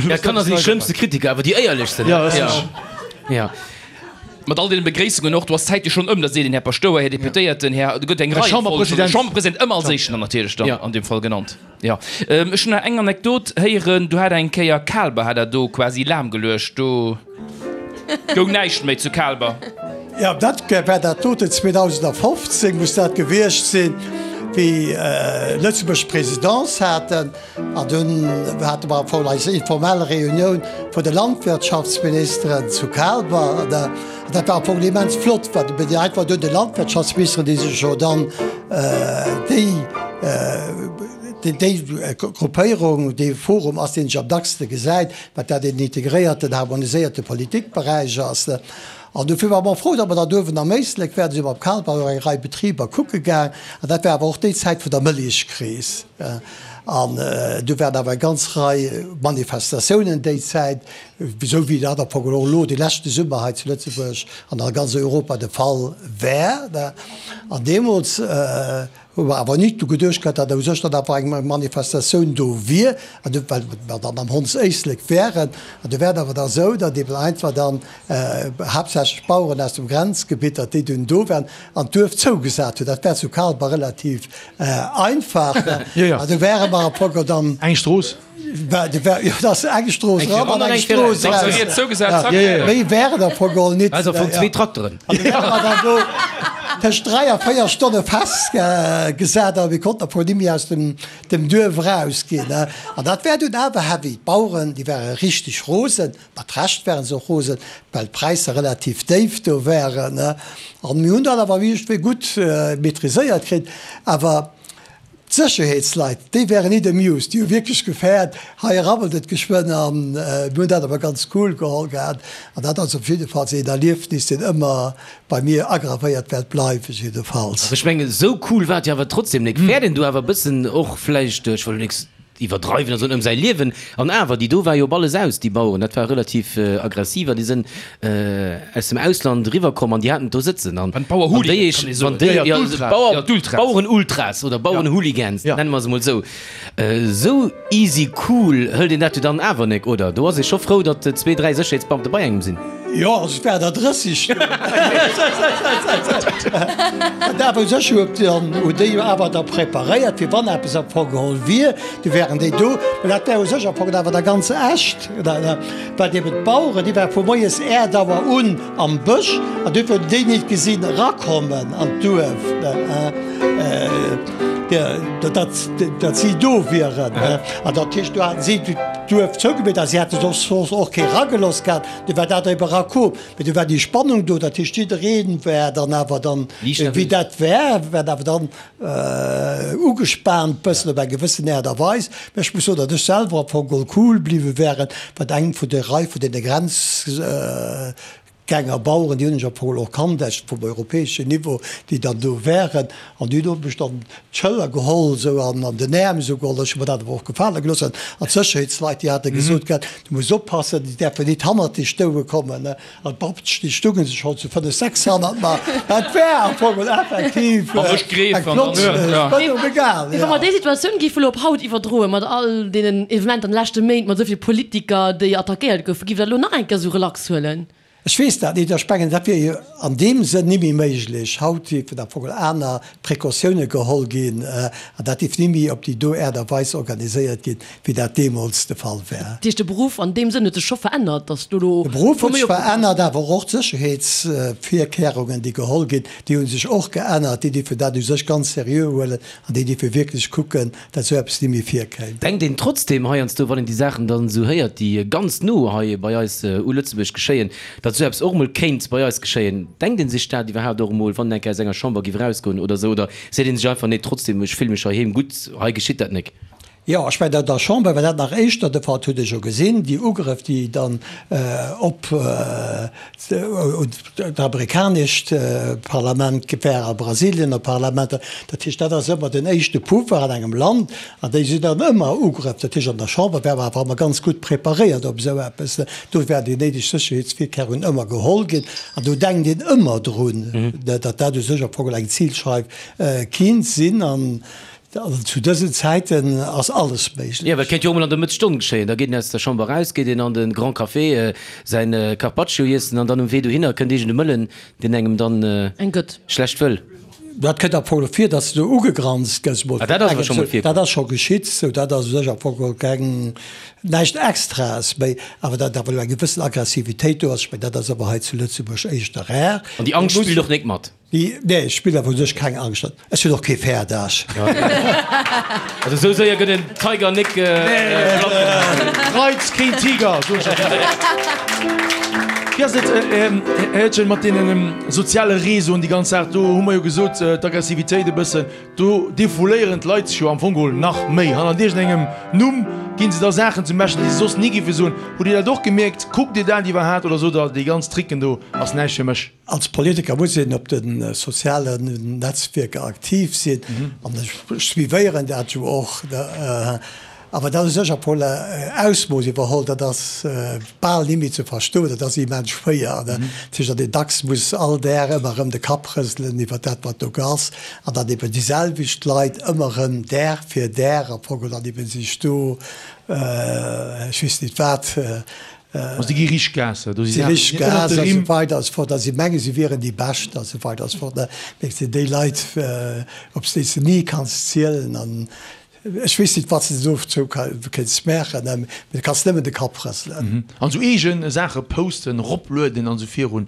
Ja, Kanner sinn déi schlëmmste Kritiker, awer déi éierlechsten. Ja, dat ass Ja. Mat all deene Begréissungen och, do ass d'Zäit jo schonn ëm, da seet een Här Paschtouer, Här Deputéierten, Här, do gëtt eng Rei Chamberpresident. Chamberpresident ëmmer als éischten dann natierlech dann an deem Fall genannt. Jo. Ech hunn nach eng Anekdot héieren, do hat eng Kéier Kaalber hat dat do quasi lahmgeluecht, do. Goung näischt méi zu Kaalber. Jo, dat war dat doten, 2015 muss dat gewiescht sinn, wéi Lëtzebuerg d'Presidence haten. An dunn hate mer am Fong eis informell Reunioun vun de Landwirtschaftsministeren zu Kaalber. An dat war am Fong immens flott, well mir déi einfach dunn de Landwirtschaftsministeren, déi sech jo dann déi, déi Gruppéierung, dee Forum ass, deen sech am dackste gesäit, wat dat een integréierten, harmoniséierte Politikberäich ass. An dofir ware mer frou, datt mer dann uewen am Éislek waren, si mer op Kalbach och eng Rei Betriber kucke gaang. An dat war awer och déi Zäit vun der Mëllechkris. An du waren awer eng ganz Rei Manifestatiounen déi Zäit, esou wéi dat am Fong och elo de leschte Summer hei zu Lëtzebuerg an a ganz Europa de Fall war. An deemools hu mer awer nit dru geduecht gehat, datt u sech dann awer eng Manifestatioun do wier, an du, well mer dann am Hondséislek wären. An du war et awer da esou, datt eben einfach dann haaptsächlech d'Baueren aus dem Grenzgebitt, datt déi dunn do waren an d'Duerf zougesat hunn. Dat war zu Kalber relativ einfach. An du wäre mer am Fong dann. Eng Strooss. Jo, dat ass eng Strooss eran an eng Strooss eraus. Méi wär et am Fong geholl nit. Also vun zwee Trakteren. An du wäre mer dann do tëscht 3 a 4 Stonne festgesat a mir konnten am Fong nimmi aus dem Duerf erausginn. An dat war dunn awer heavy. D'Baueren, déi ware richteg rosen. Mat Recht waren se och rosen, well d'Präisser relativ déif do waren. An mir hunn dat awer iergendwéi gutt maîtriséiert kritt. Awer d'Sécherheetsleit, déi waren nit amused. Déi hu wierklech gefäert, hei rabbelt et geschwënn. An mir hunn dat awer ganz cool geholl gehat. An dat ass op jiddefalls een Erliefnis, deen ëmmer bei mir agravéiert wäert bleiwen, jiddefalls. Ech mengen, esou cool war et jo awer trotzdem nik. Fäert een do awer e bëssen och vläicht, ech wëll elo nix iwwerdreiwen a soen, ëm säi Liewen. An awer, déi do war jo op alles aus, déi Baueren, dat war relativ aggressiv an déi sënn aus dem Ausland eriwwer komm an déi haten et do sëtzen. An déi eech, wann déi, jo, Bauer, Bauerenultras oder Bauerenhooligans, nenne mer se mol esou. Esou easy cool hëlt een dat jo dann awer nek, oder? Do ass ee scho frou, datt zwee, dräi Sécherheetsbeamte bei engem sinn. Jo, also et waren der 30 do. An awer u sech huet dann, hunn déi jo awer da preparéiert, fir wann eppes am Fong geholl wier, du wären déi do. Mä dat war u sech am Fong awer da ganz echt, well eben d'Baueren, déi ware vu moies 8 Auer un am Bësch an duerfir hunn déi nit gesinn erakommen an d'Duerf, datt si do wieren. An dat heescht, do haten si d'Duerf zougemeet a si hätte soss och kee eragelooss gehat. Du war dat ebe rakoum, mee du war déi Spannung do, dat heescht jiddereen war dann awer dann, wéi dat war, war awer dann ugespaant bëssen op eng gewëssen Aart a Weis. Mä ech muss soen, datt ech selwer am Fong geholl cool bliwwe wären, wat eng vun der Rei vun deene Grenzgänger Baueren, déi hunn ech am Fong geholl och kannt, aus vum europäeschen Niveau, déi dann do waren, an déi hunn mech dann d'Schëller geholl esou an an den Äerm esou geholl. Ech hu mer dat awer och gefale gelooss. An d'Sécherheetsleit, déi hate gesot gehat, du muss oppassen, déi däerfen nit hannert dech stoue kommen. An d'Babtsch, déi stounge sech schonn zu fënnef, sechs hannert mer. Dat war am Fong geholl effektiv eng flott Spënnung, egal, Mee wa mer déi Situatioun géife elo op haut iwwerdroen, mat all deenen Evenementer an de leschte Méint, mat esou vill Politiker, déi attackéiert goufen, giff Der dat elo nach eng Kéier esou relax huelen? Ech weess dat nit. Ech mengen, dat wier jo an deem Sënn nimmi méiglech. Haut géifen am Fong aner Precautioune geholl ginn an dat géif nimmi op déi do Aart a Weis organiséiert ginn, wéi dat deemools de Fall war. Dat heescht, de Beruff an deem Sënn huet sech scho verännert, datt do elo. De Beruff huet sech verännert, awer och d'Sécherheetsvirkehrungen, déi geholl ginn, déi hu sech och geännert. Déi dierfen dat u sech ganz seriö huelen an déi dierfe wierklech kucken, dat esou eppes ni méi virkéim. Denkt een trotzdem heiansdo, wann een déi Saachen dann esou héiert, déi ganz no hei bei eis u Lëtzebuerg geschéien, datt esou eppes och emol kéint bei eis geschéien? Denkt ee sech dat iwwerhaapt och emol, wann een eng Kéier aus enger Chamber géif erausgoen oder esou? Oder seet ee sech einfach, nee, trotzdem, ech fille mech heiheem gutt, hei geschitt dat nek? Jo, ech mengen, an der Chamber war dat nach éischter de Fall, dat hutt Dir jo gesinn, déi Ugrëff, déi dann op d'amerikanescht Parlament war a Brasilien a Parlamenter. Dat heescht, dat ass ëmmer den éischte Pouvoir an engem Land an déi sinn dann ëmmer Ugrëff. Dat heescht, an der Chamber war mer awer ëmmer ganz gutt preparéiert op esou eppes. Do waren déi néideg Sécherheetsvirkehrungen ëmmer geholl ginn an do denkt een ëmmer drun, datt dat u sech am Fong eng Zilscheif kinnt sinn. An zu dësen Zäiten ass alles méiglech. Jo, well et kéint jo och mol an der Mëttesstonn geschéien. Da geet een aus der Chamber eraus, geet een an de Grand Café säin Carpaccio iessen an dann um Wee dohinner kënnt iergend e Mëllen, deen engem dann Eng gëtt. schlecht wëll. Dat kënnt am Fong och vir, datt s de ugegranzt gëss mol Ah, dat ass awer scho mol virkomm. Dat ass scho geschitt, sou dat ass u sech am Fong geholl keng, näischt Extraes méi. Awer datt awer elo eng gewëssen Aggressivitéit do ass, ech mengen, dat ass awer hei zu Lëtzebuerg éischter rar. An déi Angscht spillt och nek mat. Nee, ech spillen awer u sech keng Angscht. Ech hunn och kee Fäerdaasch. Also esou séier gëtt en Tiger nik platt gemaach. Reiz keen Tiger, soen ech der. Wéi ass et, Här Hildgen, mat deenen soziale Réseauen, déi ganz Saach? Do hu mer jo gesot, d'Aggressivitéit e bëssen, do defouléieren d'Leit sech jo am Fong geholl nach méi hannert iergendengem Numm. Ginn se da Saachen zum Beschten, déi se soss ni géife soen? Hutt Dir dat och gemierkt? Kuckt Dir dat iwwerhaapt oder sot Der, déi ganz Tricken do ass näischt fir mech? Als Politiker muss een op de sozialen Netzwierker aktiv sinn an ech suivéieren dat jo och. Awer dat u sech a voller Ausmooss iwwerholl, dat ass bal ni méi ze verstoen, dat ass immens schwéier. Dat heescht, datt een dacks muss all Dag ëmmer erëm de Kapp rëselen iwwer dat, wat do ass, an datt eben déi selwecht Leit ëmmer erëm Dag fir Dag am Fong dann eben sech do, ech weess nit wat, Also déi gi richteg Gas, do si Saachen, déi ënnert de Rimm. Esou weider a sou fort, a si menge si wieren déi Bescht a sou weider a sou fort. Mee et sinn déi Leit, op déi s de ni kanns zielen. An ech weess nit, wat s de dozou kéints maachen, mee du kanns nëmmen de Kapp rëselen. An sou eege Saache posten, eroplueden an esou virun,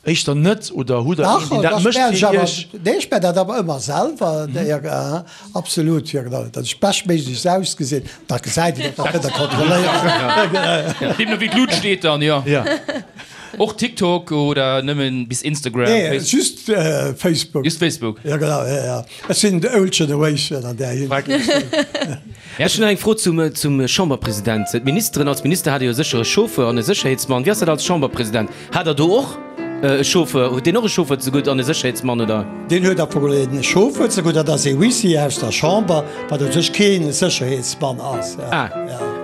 Éischter net, oder hutt der een, deen dat mécht fir Iech? Nee, ech maachen dat awer ëmmer selwer, absolut, jo genau, datt ech beschtméiglechst ausgesinn, dat gesäit een och, dat kënnt Der kontrolléieren. Deemno wéi d'Lut steet dann, jo. Och TikTok oder nëmmen bis Instagram? Nee, just Facebook. Just Facebook? Jo genau, jo jo. Ech sinn de Old Generation an där Hinsicht. Ech hunn nach eng Fro zum Chamberpresident. D'Ministeren, als Minister hat Dir jo sécher e Chauffeur an e Sécherheetsmann. Wéi ass dat als Chamberpresident? Hat der do och e Chauffeur? Huet deen och e Chauffeur zegutt an e Sécherheetsmann, oder? Deen huet am Fong e Chauffeur zegutt, dat ass ee Huissier aus der Chamber, wat u sech kee Sécherheetsmann ass. Ah,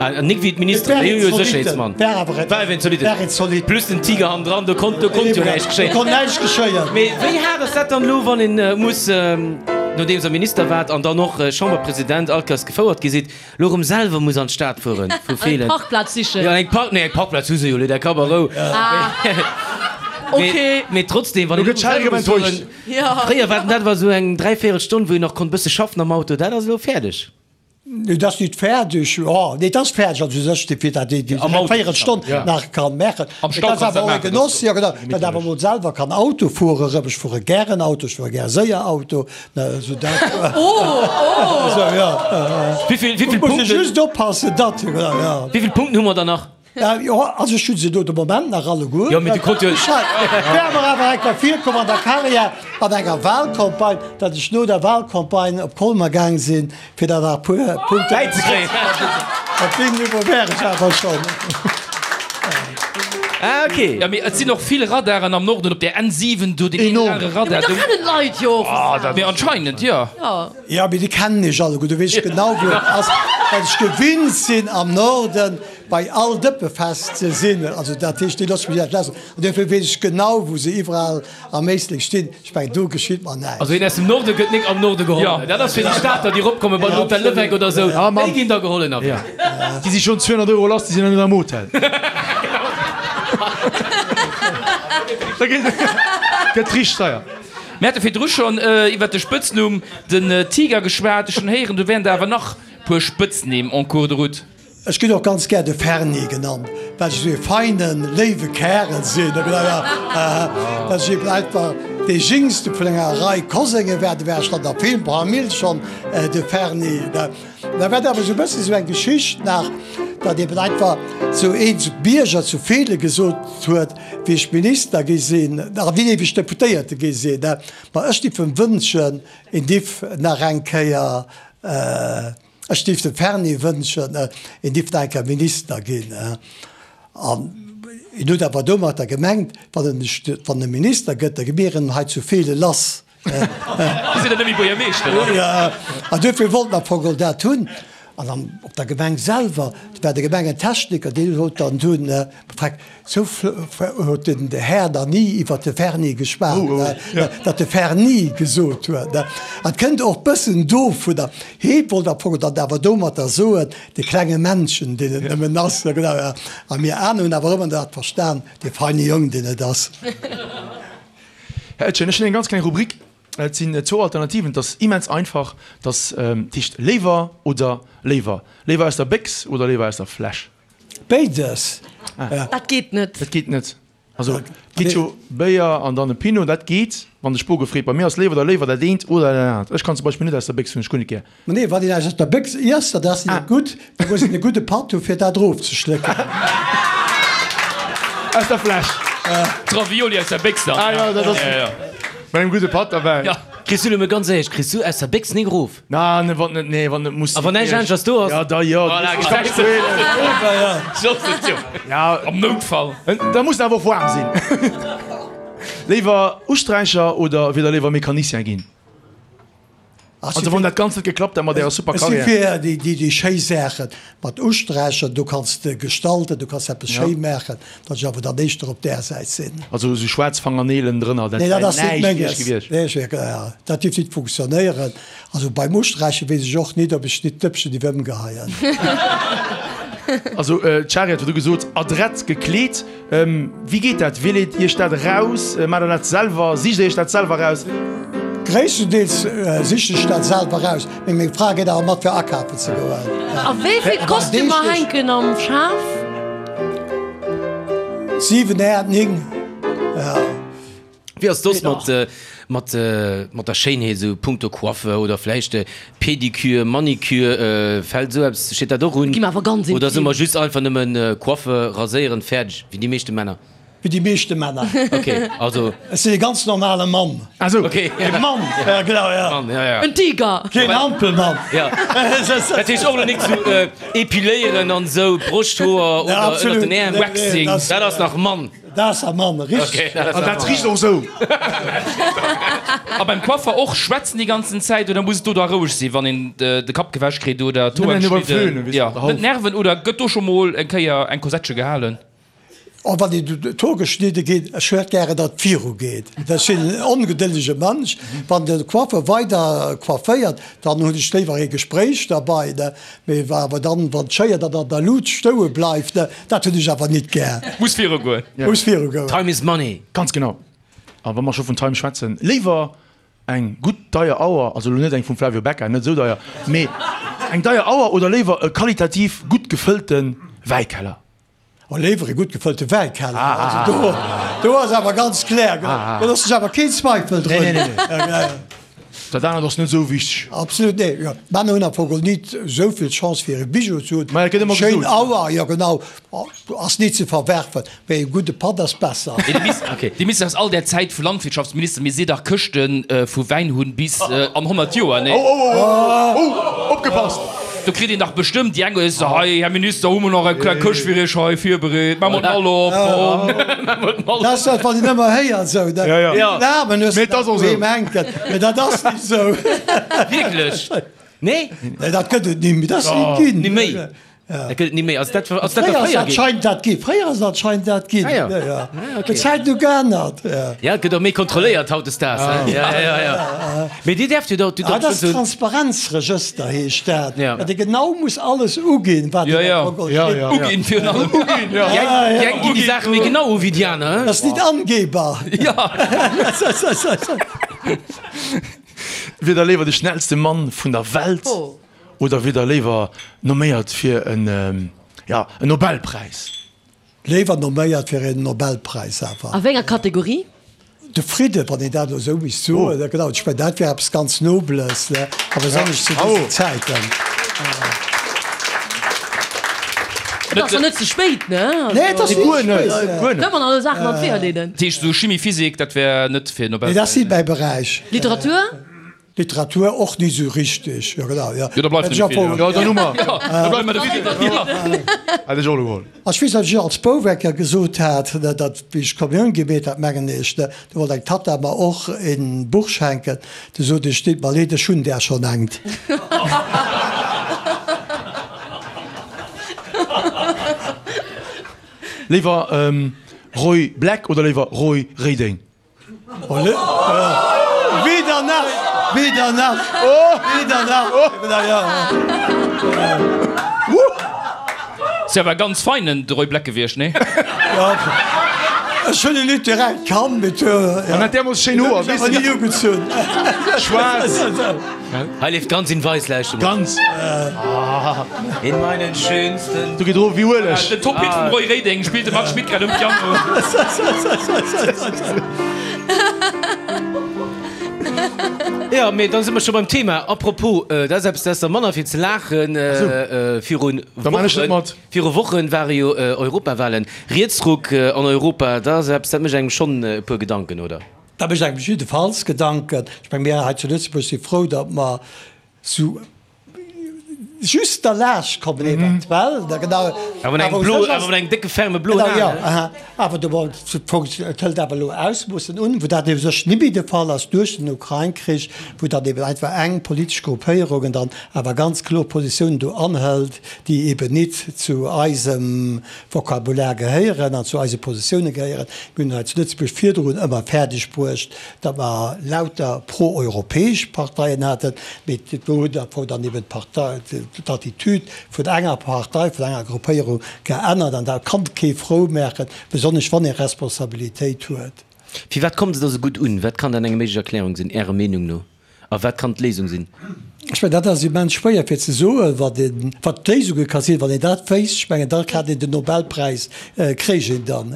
an nik wéi d'Ministeren, déi hu jo e Sécherheetsmann. War awer en zolitten. Plus den Tiger hannendran, do konnt, do konnt jo näischt geschéien. Do konnt näischt geschéien. Mee wéi haart ass dat dann elo, wann een muss, nodeems der Minister waart an dann och Chamberpresident, all Kéiers gefouert gi sidd, Lo rem selwer muss an d'Stad fueren vu Feelen. Eng Parkplaz sichen. Jo, eng Park, nee, eng Parkplaz hu se jo, der Kapp a Rou. Ah, ok. Mee trotzdem, wann een elo selwer muss fueren, fréier war dat war esou eng dräivéierel Stonn, wou een nach konnt bësse schaffen am Auto, dat ass elo fäerdeg. Nee, dat ass nit fäerdeg. Jo, nee, dat ass fäerdeg, also u sech, fir dat een déi dräivéierel Stonn nach kann maachen. Am Stau kanns dat maachen. Genoss, jo genau, datt awer emol selwer kann Auto fuere rëm. Ech fuere gären Auto, ech fuere gär séier Auto. Sou dat. Oh, oh. Sou, ja. Wéivill, wéivill Muss Punkten? just oppassen, datt, ja. Wéivill Punkten hu mer dann nach? Ja, jo, also ech hu se do de Moment nach alleguer. Jo, mee du konnt jo. Ech hat, wär mer awer eng Kéier virkomm an der Karriär, an enger Wahlcampagne, datt ech no der Wahlcampagne op Colmer gaang sinn, fir der nach e puer Punkte bäizekréien. Op deem Niveau wär ech awer schonn. Ah, ok. Ja, mee et sinn och vill Radaren am Norden op der N7 do, deen een Enorm. rare Radar Jo, mee da do. kennen d'Leit jo och Ah, dat. Mee anscheinend, jo. Jo. Jo, mee déi kennen ech alleguer. Do weess ech genau, wou et ass, well ech gewinnt sinn, am Norden bei all Dëppefest ze sinn. Also dat heescht, déi loosse mech net lass. An duerfir weess ech genau, wou se iwwerall am Éislek stinn. Ech mengen, do geschitt mer näischt. Also een aus dem Norde gëtt nik am Norde geholl. Dat ass fir déi Stater, déi eropkommen bei den Hotel Leweck oder esou. Déi ginn da geholl ënnerwee. Déi si schonn 200 Euro lass, déi sinn nach net am Hotel. Da gëtt richteg deier. Mir hate virdru schonn iwwert de Spëtznumm den Tiger geschwat. Ech hunn héieren, do wären der awer nach puer Spëtznimm en cours de route. Ech ginn och ganz gär de Ferni genannt, well ech esou ee feinen, léiwe Kärel sinn. Dat ech eben einfach dee Jingste vun enger Rei Kosenge war. Do war ech dann der Filmfamill schonn de Ferni. Da war et awer esou e bëssen esou eng Geschicht nach, datt eben einfach esou een Bierger zu Feelen gesot huet, wéi ech Minister gi sinn, a wéi ech Deputéierte gi sinn, ma ech giff em wënschen, en giff nach eng Kéier, Ech géif dem Ferni wënschen, en dierft nach eng Kéier Minister ginn. An en huet awer domatter gemengt, wann en wann e Minister gëtt, da gi mir en hei zu Feelen lass. Dir sidd dann net méi Buergermeeschter, ne? An duerfir wollt en am Fong geholl dat hunn. An dann op der Gemeng selwer, do war de Gemengentechniker, deen huet dann dunn Freck, sou huet den Här nach ni iwwer de Verni geschwat, datt de Verni gesot huet. An et kënnt och bëssen dovunner, hee wollt am Fong dann awer domatter soen, de klenge Männchen, deen et nëmmen ass. A mir aner hunn awer ëmmer dat verstan, de feine Jong, deen et ass. Här Oetjen, ech hunn eng ganz kleng Rubrik. Et sinn zwou Alternativen. Et ass immens einfach. Et ass, dat heescht léiwer oder léiwer. Léiwer aus der Béchs oder léiwer aus der Fläsch? Béides. Dat geet net. Dat geet net. Also et geet jo Béier an dann e Pinot, dat geet, wann de Spo gefreet. Bei mir ass léiwer oder léiwer dat eent oder dat anert. Ech kann zum Beispill net aus der Béchs, hunn ech guer net gär. Ma nee, wann een eppes aus der Béchs iesst, dat ass net gutt, da muss een e gudde Patt hu fir dat erofzeschlécken. Aus der Fläsch. D'Ravioli aus der Béchs dann. Ah jo, dat ass mat engem gudde Patt derbäi. Kriss du elo mol ganz éierlech, kriss du aus der Béchs nik erof? Na, ne, wann net, nee, wann net muss A wann näischt aneschters do ass? Ja, da jo. Voilà, Ich kann gesäis du. du. Ja, Am Noutfall. da muss en awer och waarm sinn. Léiwer Usträicher oder wier der léiwer Mecanicien ginn? Also wann dat Ganzt net geklappt hätt mat ärer super Ech si Carrière. fir déi, déi, déi schéi Saachen mat Usträichen, do kanns de gestalten, do kanns eppes schéi maachen, datt ech awer dann éischter op där Säit sinn. Also esou schwaarz Fangerneelen drënner, dat Nee, dat wär ass net näischt fir iech menges. gewiescht? Nee, ech, ja, dat dierft nit funktionéieren. Also beim Usträiche weess ech och nit, ob ech nit d'Dëppchen dierf ëmgeheien. Also d'Shari hat virdu gesot, adrett gekleet. Wéi geet dat? Wielt Iech dat eraus? Maacht der dat selwer? Sicht der Iech dat selwer eraus? Gréisstendeels sichen ech dat selwer eraus, mee meng Fra geet awer mat fir akafen ze goen. A wéi vill Kostümer hänken am Schaf? 7, 8, 9, ja. Wéi ass soss mat mat mat der Schéinheet esou punkto Coiffe oder vläicht Pedicure, Manicure, fält esou eppes, steet dat och un? Gi mer awer ganz Oder soe intim. mer just einfach nëmmen Coiffe, raséieren, fäerdeg, wéi déi meeschte Männer? Wéi déi meeschte Männer. Ok, also. Ech sinn e ganz normale Mann. Ah sou. Ok. E Mann, ja genau, ja. Mann, ja, ja. En Tiger! Keen Hampelmann. Ja. Dat heescht och elo nik sou epiléieren an esou, Broschthoer oder ënnert den Äerm. Waxing. Dat ass nach Mann. Dat ass a Mann, richteg. An dat richt och esou. A beim Coiffer och schwätzen déi ganzen Zäit oder muss et do da roueg sinn, wann een de Kapp gewäsch kritt oder d'Hoer geschnidden? Jo, net nerven oder gëtt do scho mol eng Kéier eng Kosettche gehalen? Oh, wann een d'Hoer geschnidde ginn, ech huet gären, datt et viru geet. Ech sinn en ongedëllege Mënsch. Wann de Coiffer weider coifféiert, dann hunn ech léiwer ee Gespréich derbei. Mee awer dann, wann d'Schéier dann an der Lut stoue bleift, dat hunn ech awer nit gär. Muss viru goen. Muss viru goen. Time is money. Ganz genau. A wa mer scho vun Time schwätzen, léiwer eng gutt deier Auer, also elo net eng vum Flavio Becca, net esou deier, mee eng deier Auer oder léiwer e qualitativ gutt gefëllte Wäikeller? Oh, léiwer e gutt gefëllte Wäikeller. Also do, do ass awer ganz klär, do loosse ech awer keen Zweifel drun. Nee, nee, nee. Dat anert ass net esou wichteg. Absolut, nee. Jo, d'Männer hunn am Fong geholl nit esou vill Chance fir e Bijou ze hunn. Mä et gëtt ëmmer Schéin gesot. Auer, jo genau, ass nit ze verwerfen, mee e gudde Patt ass besser. Dir misst aus all där Zäit vu Landwirtschaftsminister, mir si dach Këschte vu Wäin hunn bis an 100 Joer, nee? Oh, oh, oh, oh, oh, opgepasst! Do kritt een dach bestëmmt déi eng oder aner, Hei, Här Minister, hu mer nach eng kleng Këscht fir Iech hei virbereet, maache mer d'Mall op, komm, maache mer d'Mall op. Dat ass dat, wat een ëmmer héiert esou, ne? Ja, ja. Den Aarmen hues Mee de et ass och doheem esou. hänken, mee dat ass nit esou. Wierklech? Nee? Nee, dat gëtt et ni méi, dat ass nit ginn. Ni méi? Dat gëtt et ni méi. Ass dat, ass dat Fréier ass fréier ginn? anscheinend dat ginn. Fréier ass anscheinend dat ginn. Ah ja. Ja, ja. Ah, okay. D'Zäiten hu geännert. Ja. Ja, et gëtt och méi kontrolléiert hautdesdaags, he? Ja, ja, ja. Mee Dir däerft jo do, du Ah, dat ass schon so. Transparenzregëster heescht dat. Ja. Dat ee genau muss alles uginn, wat Ja, ja. am Protokoll Ja, steet. ja. Uginn virun allem. Uginn, ja. Déi eng, déi eng ginn déi Saache méi genau u wéi déi aner, he? Dat ass nit angeber. Ja. Wier der léiwer de schnellste Mann vun der Welt oder wier der léiwer nomméiert fir en, ja, en Nobelpräis? Léiwer nomméiert fir een Nobelpräis awer. A wéi enger Kategorie? De Fridde, wann een dat elo esou misst soen, ne, genau, ech mengen, dat wär eppes ganz Nobles, ne, a besonnesch zu dësen Zäiten. Et ass nach net ze spéit, ne? Nee, et ass net Guer net, ze spéit. guer net. Kënne mer nach esou Saachen an d'Weeër leeden. Dat heescht esou Chimie, Physik, dat wär net fir Nee, dat ass Nobelpräis. nit mäi Beräich. Literatur? Literatur och nit esou richteg, jo genau, jo. Jo, da bleift net méi vill, jo. Jo, dann hu mer. Jo, da bleift mer de Fridden, jo. Hätt ech och elo geholl. Ech weess, datt ech als Bouf eng Kéier gesot hat, datt wéi ech d'Kommioun gemeet hat, mengen ech, do wollt eng Tatta mer och en Buch schenken, du sot ech, deet mer leed, ech hunn där schonn engt. Léiwer Roy Black oder léiwer Roy Reding? Weder nach, weder nach, weder nach. Si awer e ganz feinen de Roy Black gewiescht, nee? Ech hunn en nit direkt kannt, mee An hat deemools schéin Hoer, weess de nach? Ugezunn. Schwaarz. Hei leeft ganz in weiß, lauschter mol. Ganz. In meinen schönsten. Do geet erof wéi Ueleg. Den Top-Hit vum Roy Reding spillt de Marc Schmitt grad um Piano. Jo, mee dann si mer scho beim Thema. A propos, dat ass eppes, dat ass da manner fir ze laachen. Virun Da man ech net mat. Viru Wochen ware jo Europawahlen. Rietsruck an Europa, dat ass eppes, dat mécht engem schonn e puer Gedanken, oder? Dat mécht engem jiddefalls Gedanken. Ech menge mir hei zu Lëtzebuerg si frou, datt mer sou just derlaanscht kommen eventuell. Awer mat engem blo, awer mat engem décke ferme bloen A. Jo, aha. Awer do, bon, et hëlt awer elo Ausmoossen un, wou dat ebe sech net méi de Fall ass duerch den Ukrain-Krich, wou dann eben einfach eng politesch Gruppéierungen dann awer ganz kloer Positiounen do anhëlt, déi eben nit zu eisem Vokabular gehéieren an zu eise Positioune gehéieren. Mir hunn hei zu Lëtzebuerg virdrun ëmmer fäerdeg bruecht, datt mer lauter pro-europäesch Parteien haten, mee do huet am Fong dann eben d'Partei, d'Attitüd vun enger Partei, vun enger Gruppéierung geännert an dat kann kee frou maachen, besonnesch wann ee Responsabilitéit huet. Firwat kommt se da sou gutt un? Wat kann dann eng méiglech Erklärung sinn, Ärer Meenung no? A wat kann d'Léisung sinn? Ech mengen, dat ass immens schwéier fir ze soen, wat een, wat d'Léisunge ka sinn. Wann een dat wéisst, ech mengen, da hat een den Nobelpräis, kréich een dann.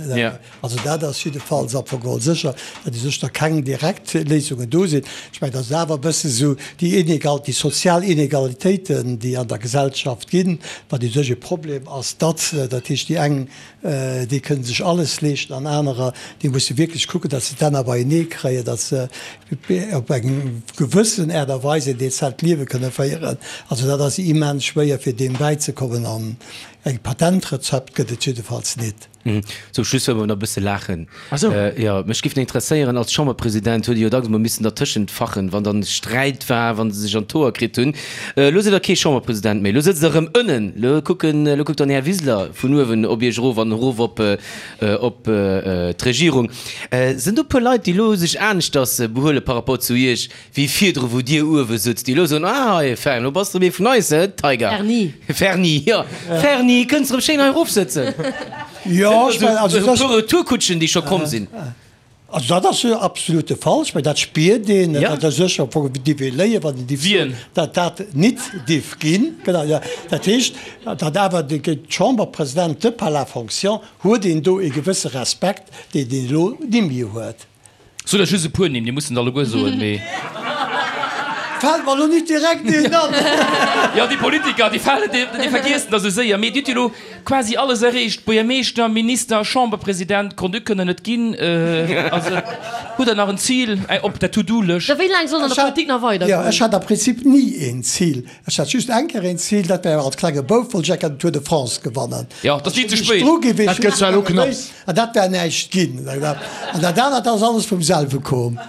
Also dat ass jiddefalls am Fong geholl sécher, datt u sech da keng direkt Léisungen do sinn. Ech mengen, dat ass awer e bësse sou déi Inegal, déi sozial Inegalitéiten, déi an der Gesellschaft ginn, wat u sech e Problem ass, datt, dat heescht déi eng, Déi kënnen sech alles leeschten an anerer, déi musse wierklech kucken, datt se d'Enner beienee kréien, datt se op eng gewëssen Aart a Weis een dezent Liewe kënne féieren. Also dat ass immens schwéier, fir deem bäizekommen an e Patentrezept gëtt et jiddefalls nit. Zum Schluss wëlle mer nach e bësse laachen. Jo, mech géif nach interesséieren, als Chamberpresident huet Dir jo dacks emol missen dertëschent fachen, wann dann Sträit war, wann se sech an d'Hoer kritt hunn. Elo sidd Der kee Chamberpresident méi, elo sëtzt Der erëm ënnen, elo kucken, elo kuckt dann Här Wiseler vun uewen op Iech erof an erof op, op d'Regierung. Sinn do e puer Leit, déi elo sech aneschters behuele par rapport zu Iech, wéi virdru wou Dir uewe sutzt, déi elo soen, ah hei Fern, elo bass de erëm ee vun eis, he Tiger? Ferni. Ferni, jo, Ferni, kënns erëm schéin hei erofsëtzen. Jo, ech mengen, also e puer Retourkutschen, déi scho komm sinn. Also dat ass jo absolut de Fall. Ech mengen, dat spiert een, dat ass sécher am Fong dierf ee léien, wann een dierf soen, datt dat nit dierf ginn. Genau, jo. Dat heescht, datt awer de Chamberpresident de par la fonction huet een do e gewësse Respekt, deen een elo nimmi huet. Sot der just e puer Nimm, dir musst net alleguer soen, mee. Fält mer elo nit direkt een an. Jo, déi Politiker, déi falen, déi vergiessen der sou séier. Mee Dir hutt jo elo quasi alles erreecht, Buergermeeschter, Minister, Chamberpresident, Grand-Duc kënnt Der net ginn. Also, hutt Der nach en Zil op der To-Do-Lëscht? Wéi laang soll an der Politik nach weidergoen? Jo, ech hat am Prinzip ni een Zil. Ech hat just eng Kéier een Zil, dat war als klenge Bouf wollt ech eng Kéier den Tour de France gewannen. Jo, dat ass ni ze spéit. Dat gëtt zwar elo knapps. An dat wär näischt ginn. An dat anert ass alles vum selwe koom.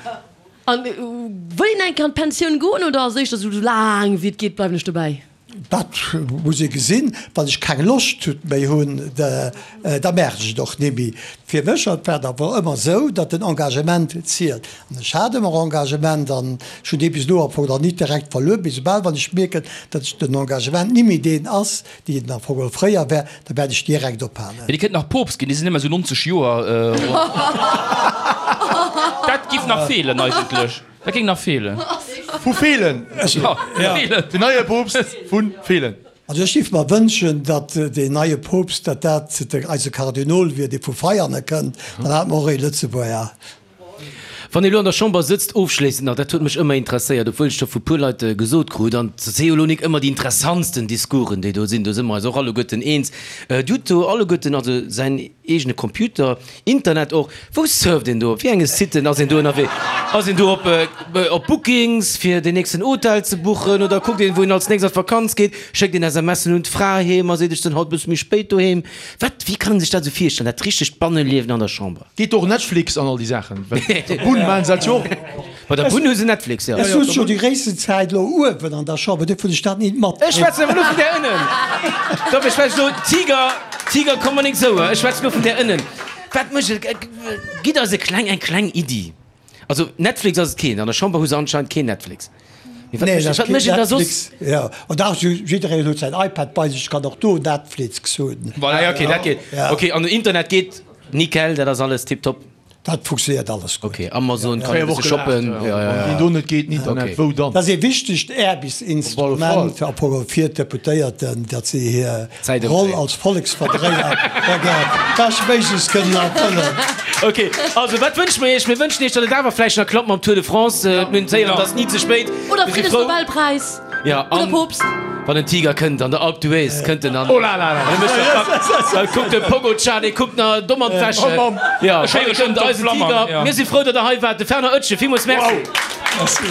An wëll een eng Kéier an d'Pensioun goen oder ass éischter esou, esou laang wéi et geet bleiwen ech dobäi? Dat muss ee gesinn. Wann ech keng Loscht méi hunn, da maachen ech et och nimmi. Fir mech war et awer ëmmer esou, datt den Engagement zielt. An ech hat ëmmer Engagement an ech hunn dee bis elo am Fong nach nit direkt verluer. Mee soubal wann ech mierken, datt ech den Engagement nimmi deen ass, deen en am Fong geholl fréier war, da wäert ech direkt ophalen. Mee Dir kënnt nach Poopst ginn, Dir sinn ëmmer esou 90 Joer. Dat giff nach feelen eigentlech. Dat géing nach feelen. Vu Feelen! Den neie Poopst vu Feelen. Also ech géif mer wënschen, datt deen neie Poopst, datt dat eise Kardinol wier, dee vu Veiane kënnt, dann hate mer och ee Lëtzebuerger. Wann ee lo an der Chamber sëtzt, ofschléissend nach, dat huet mech ëmmer interesséiert, obwuel ech scho vu puer Leit gesot krut, an et si jo lo nik ëmmer déi interessantsten Discoursen, déi do sinn, do si mer eis och alleguerten eens, Dir hutt do alleguerten also säin eegene Computer, Internet och, wou surft een do, op wéi enge Siten ass een do ënnerwee? Ass een do op op Bookings fir den nächsten Hotel ze buchen oder kuckt een, wou een als nächst an d'Vakanz geet, schéckt een SMSen un d'Fra heem a seet, ech sinn haut e bësse méi spéit doheem? Wat, wéi kann een sech dat esou virstellen, dat richtegt Banneliewen an der Chamber? Geet och Netflix an all déi Saachen? Well der Bunn maachen se dat jo och. Bei der Bunn hu se Netflix, jo. Ech sot jo déi gréissten Zäit elo uewen an der Chamber, duerfir hunn ech dat nit mat. Ech schwätzen awer elo vun där ënnen. Dofir schwätz ech elo, Tiger, Tiger, komm mer nik esou, ech schwätzen elo vun där ënnen. Wat mécht et? Gitt eis e kleng, eng kleng Iddi. Also Netflix ass et keen, an der Chamber hu se anscheinend keen Netflix. Mee wat Nee, mécht, dat wat keen mécht een da soss? Netflix, jo. An dach, jiddereen huet säin iPad bei sech, kann och do Netflix hunn. Ah ja, okay, dat geet. Ja. Okay, an den Internet geet nickel, dat ass alles tiptop. Dat funktionéiert alles gutt. Okay, Amazon kann een e bësse shoppen. Ja, ja, ja. Wann do net geet, den Internet, Okay. wou dann? Dat ass ee wichtegt Aarbechtsinstrument am Fong fir d'Deputéierten, datt si hir Zäit Roll ëmdréien. als Volleksverdréier beschtméiglechst kënnen erfëllen. Ok, also wat wënsche mer Iech? Mir wënschen Iech, datt et awer vläicht nach klappt mam Tour de France. Mir hunn d'Héieren, et ass ni ze spéit. Oder Mir si frou. Friddensnobelpräis. Ja, Oder an Poopst. Wann en Tiger kënnt an der Alpe d'Huez, kënnt en an. Oh la la la! Da kuckt de Pogacar, dee kuckt nach domm an d'Wäsche. Jo, Ech héiere schonn kënnt eisen d'Flammern, Tiger. jo. Mir si frou, datt der hei waart. De Fernand Oetjen, villmools Merci. Merci.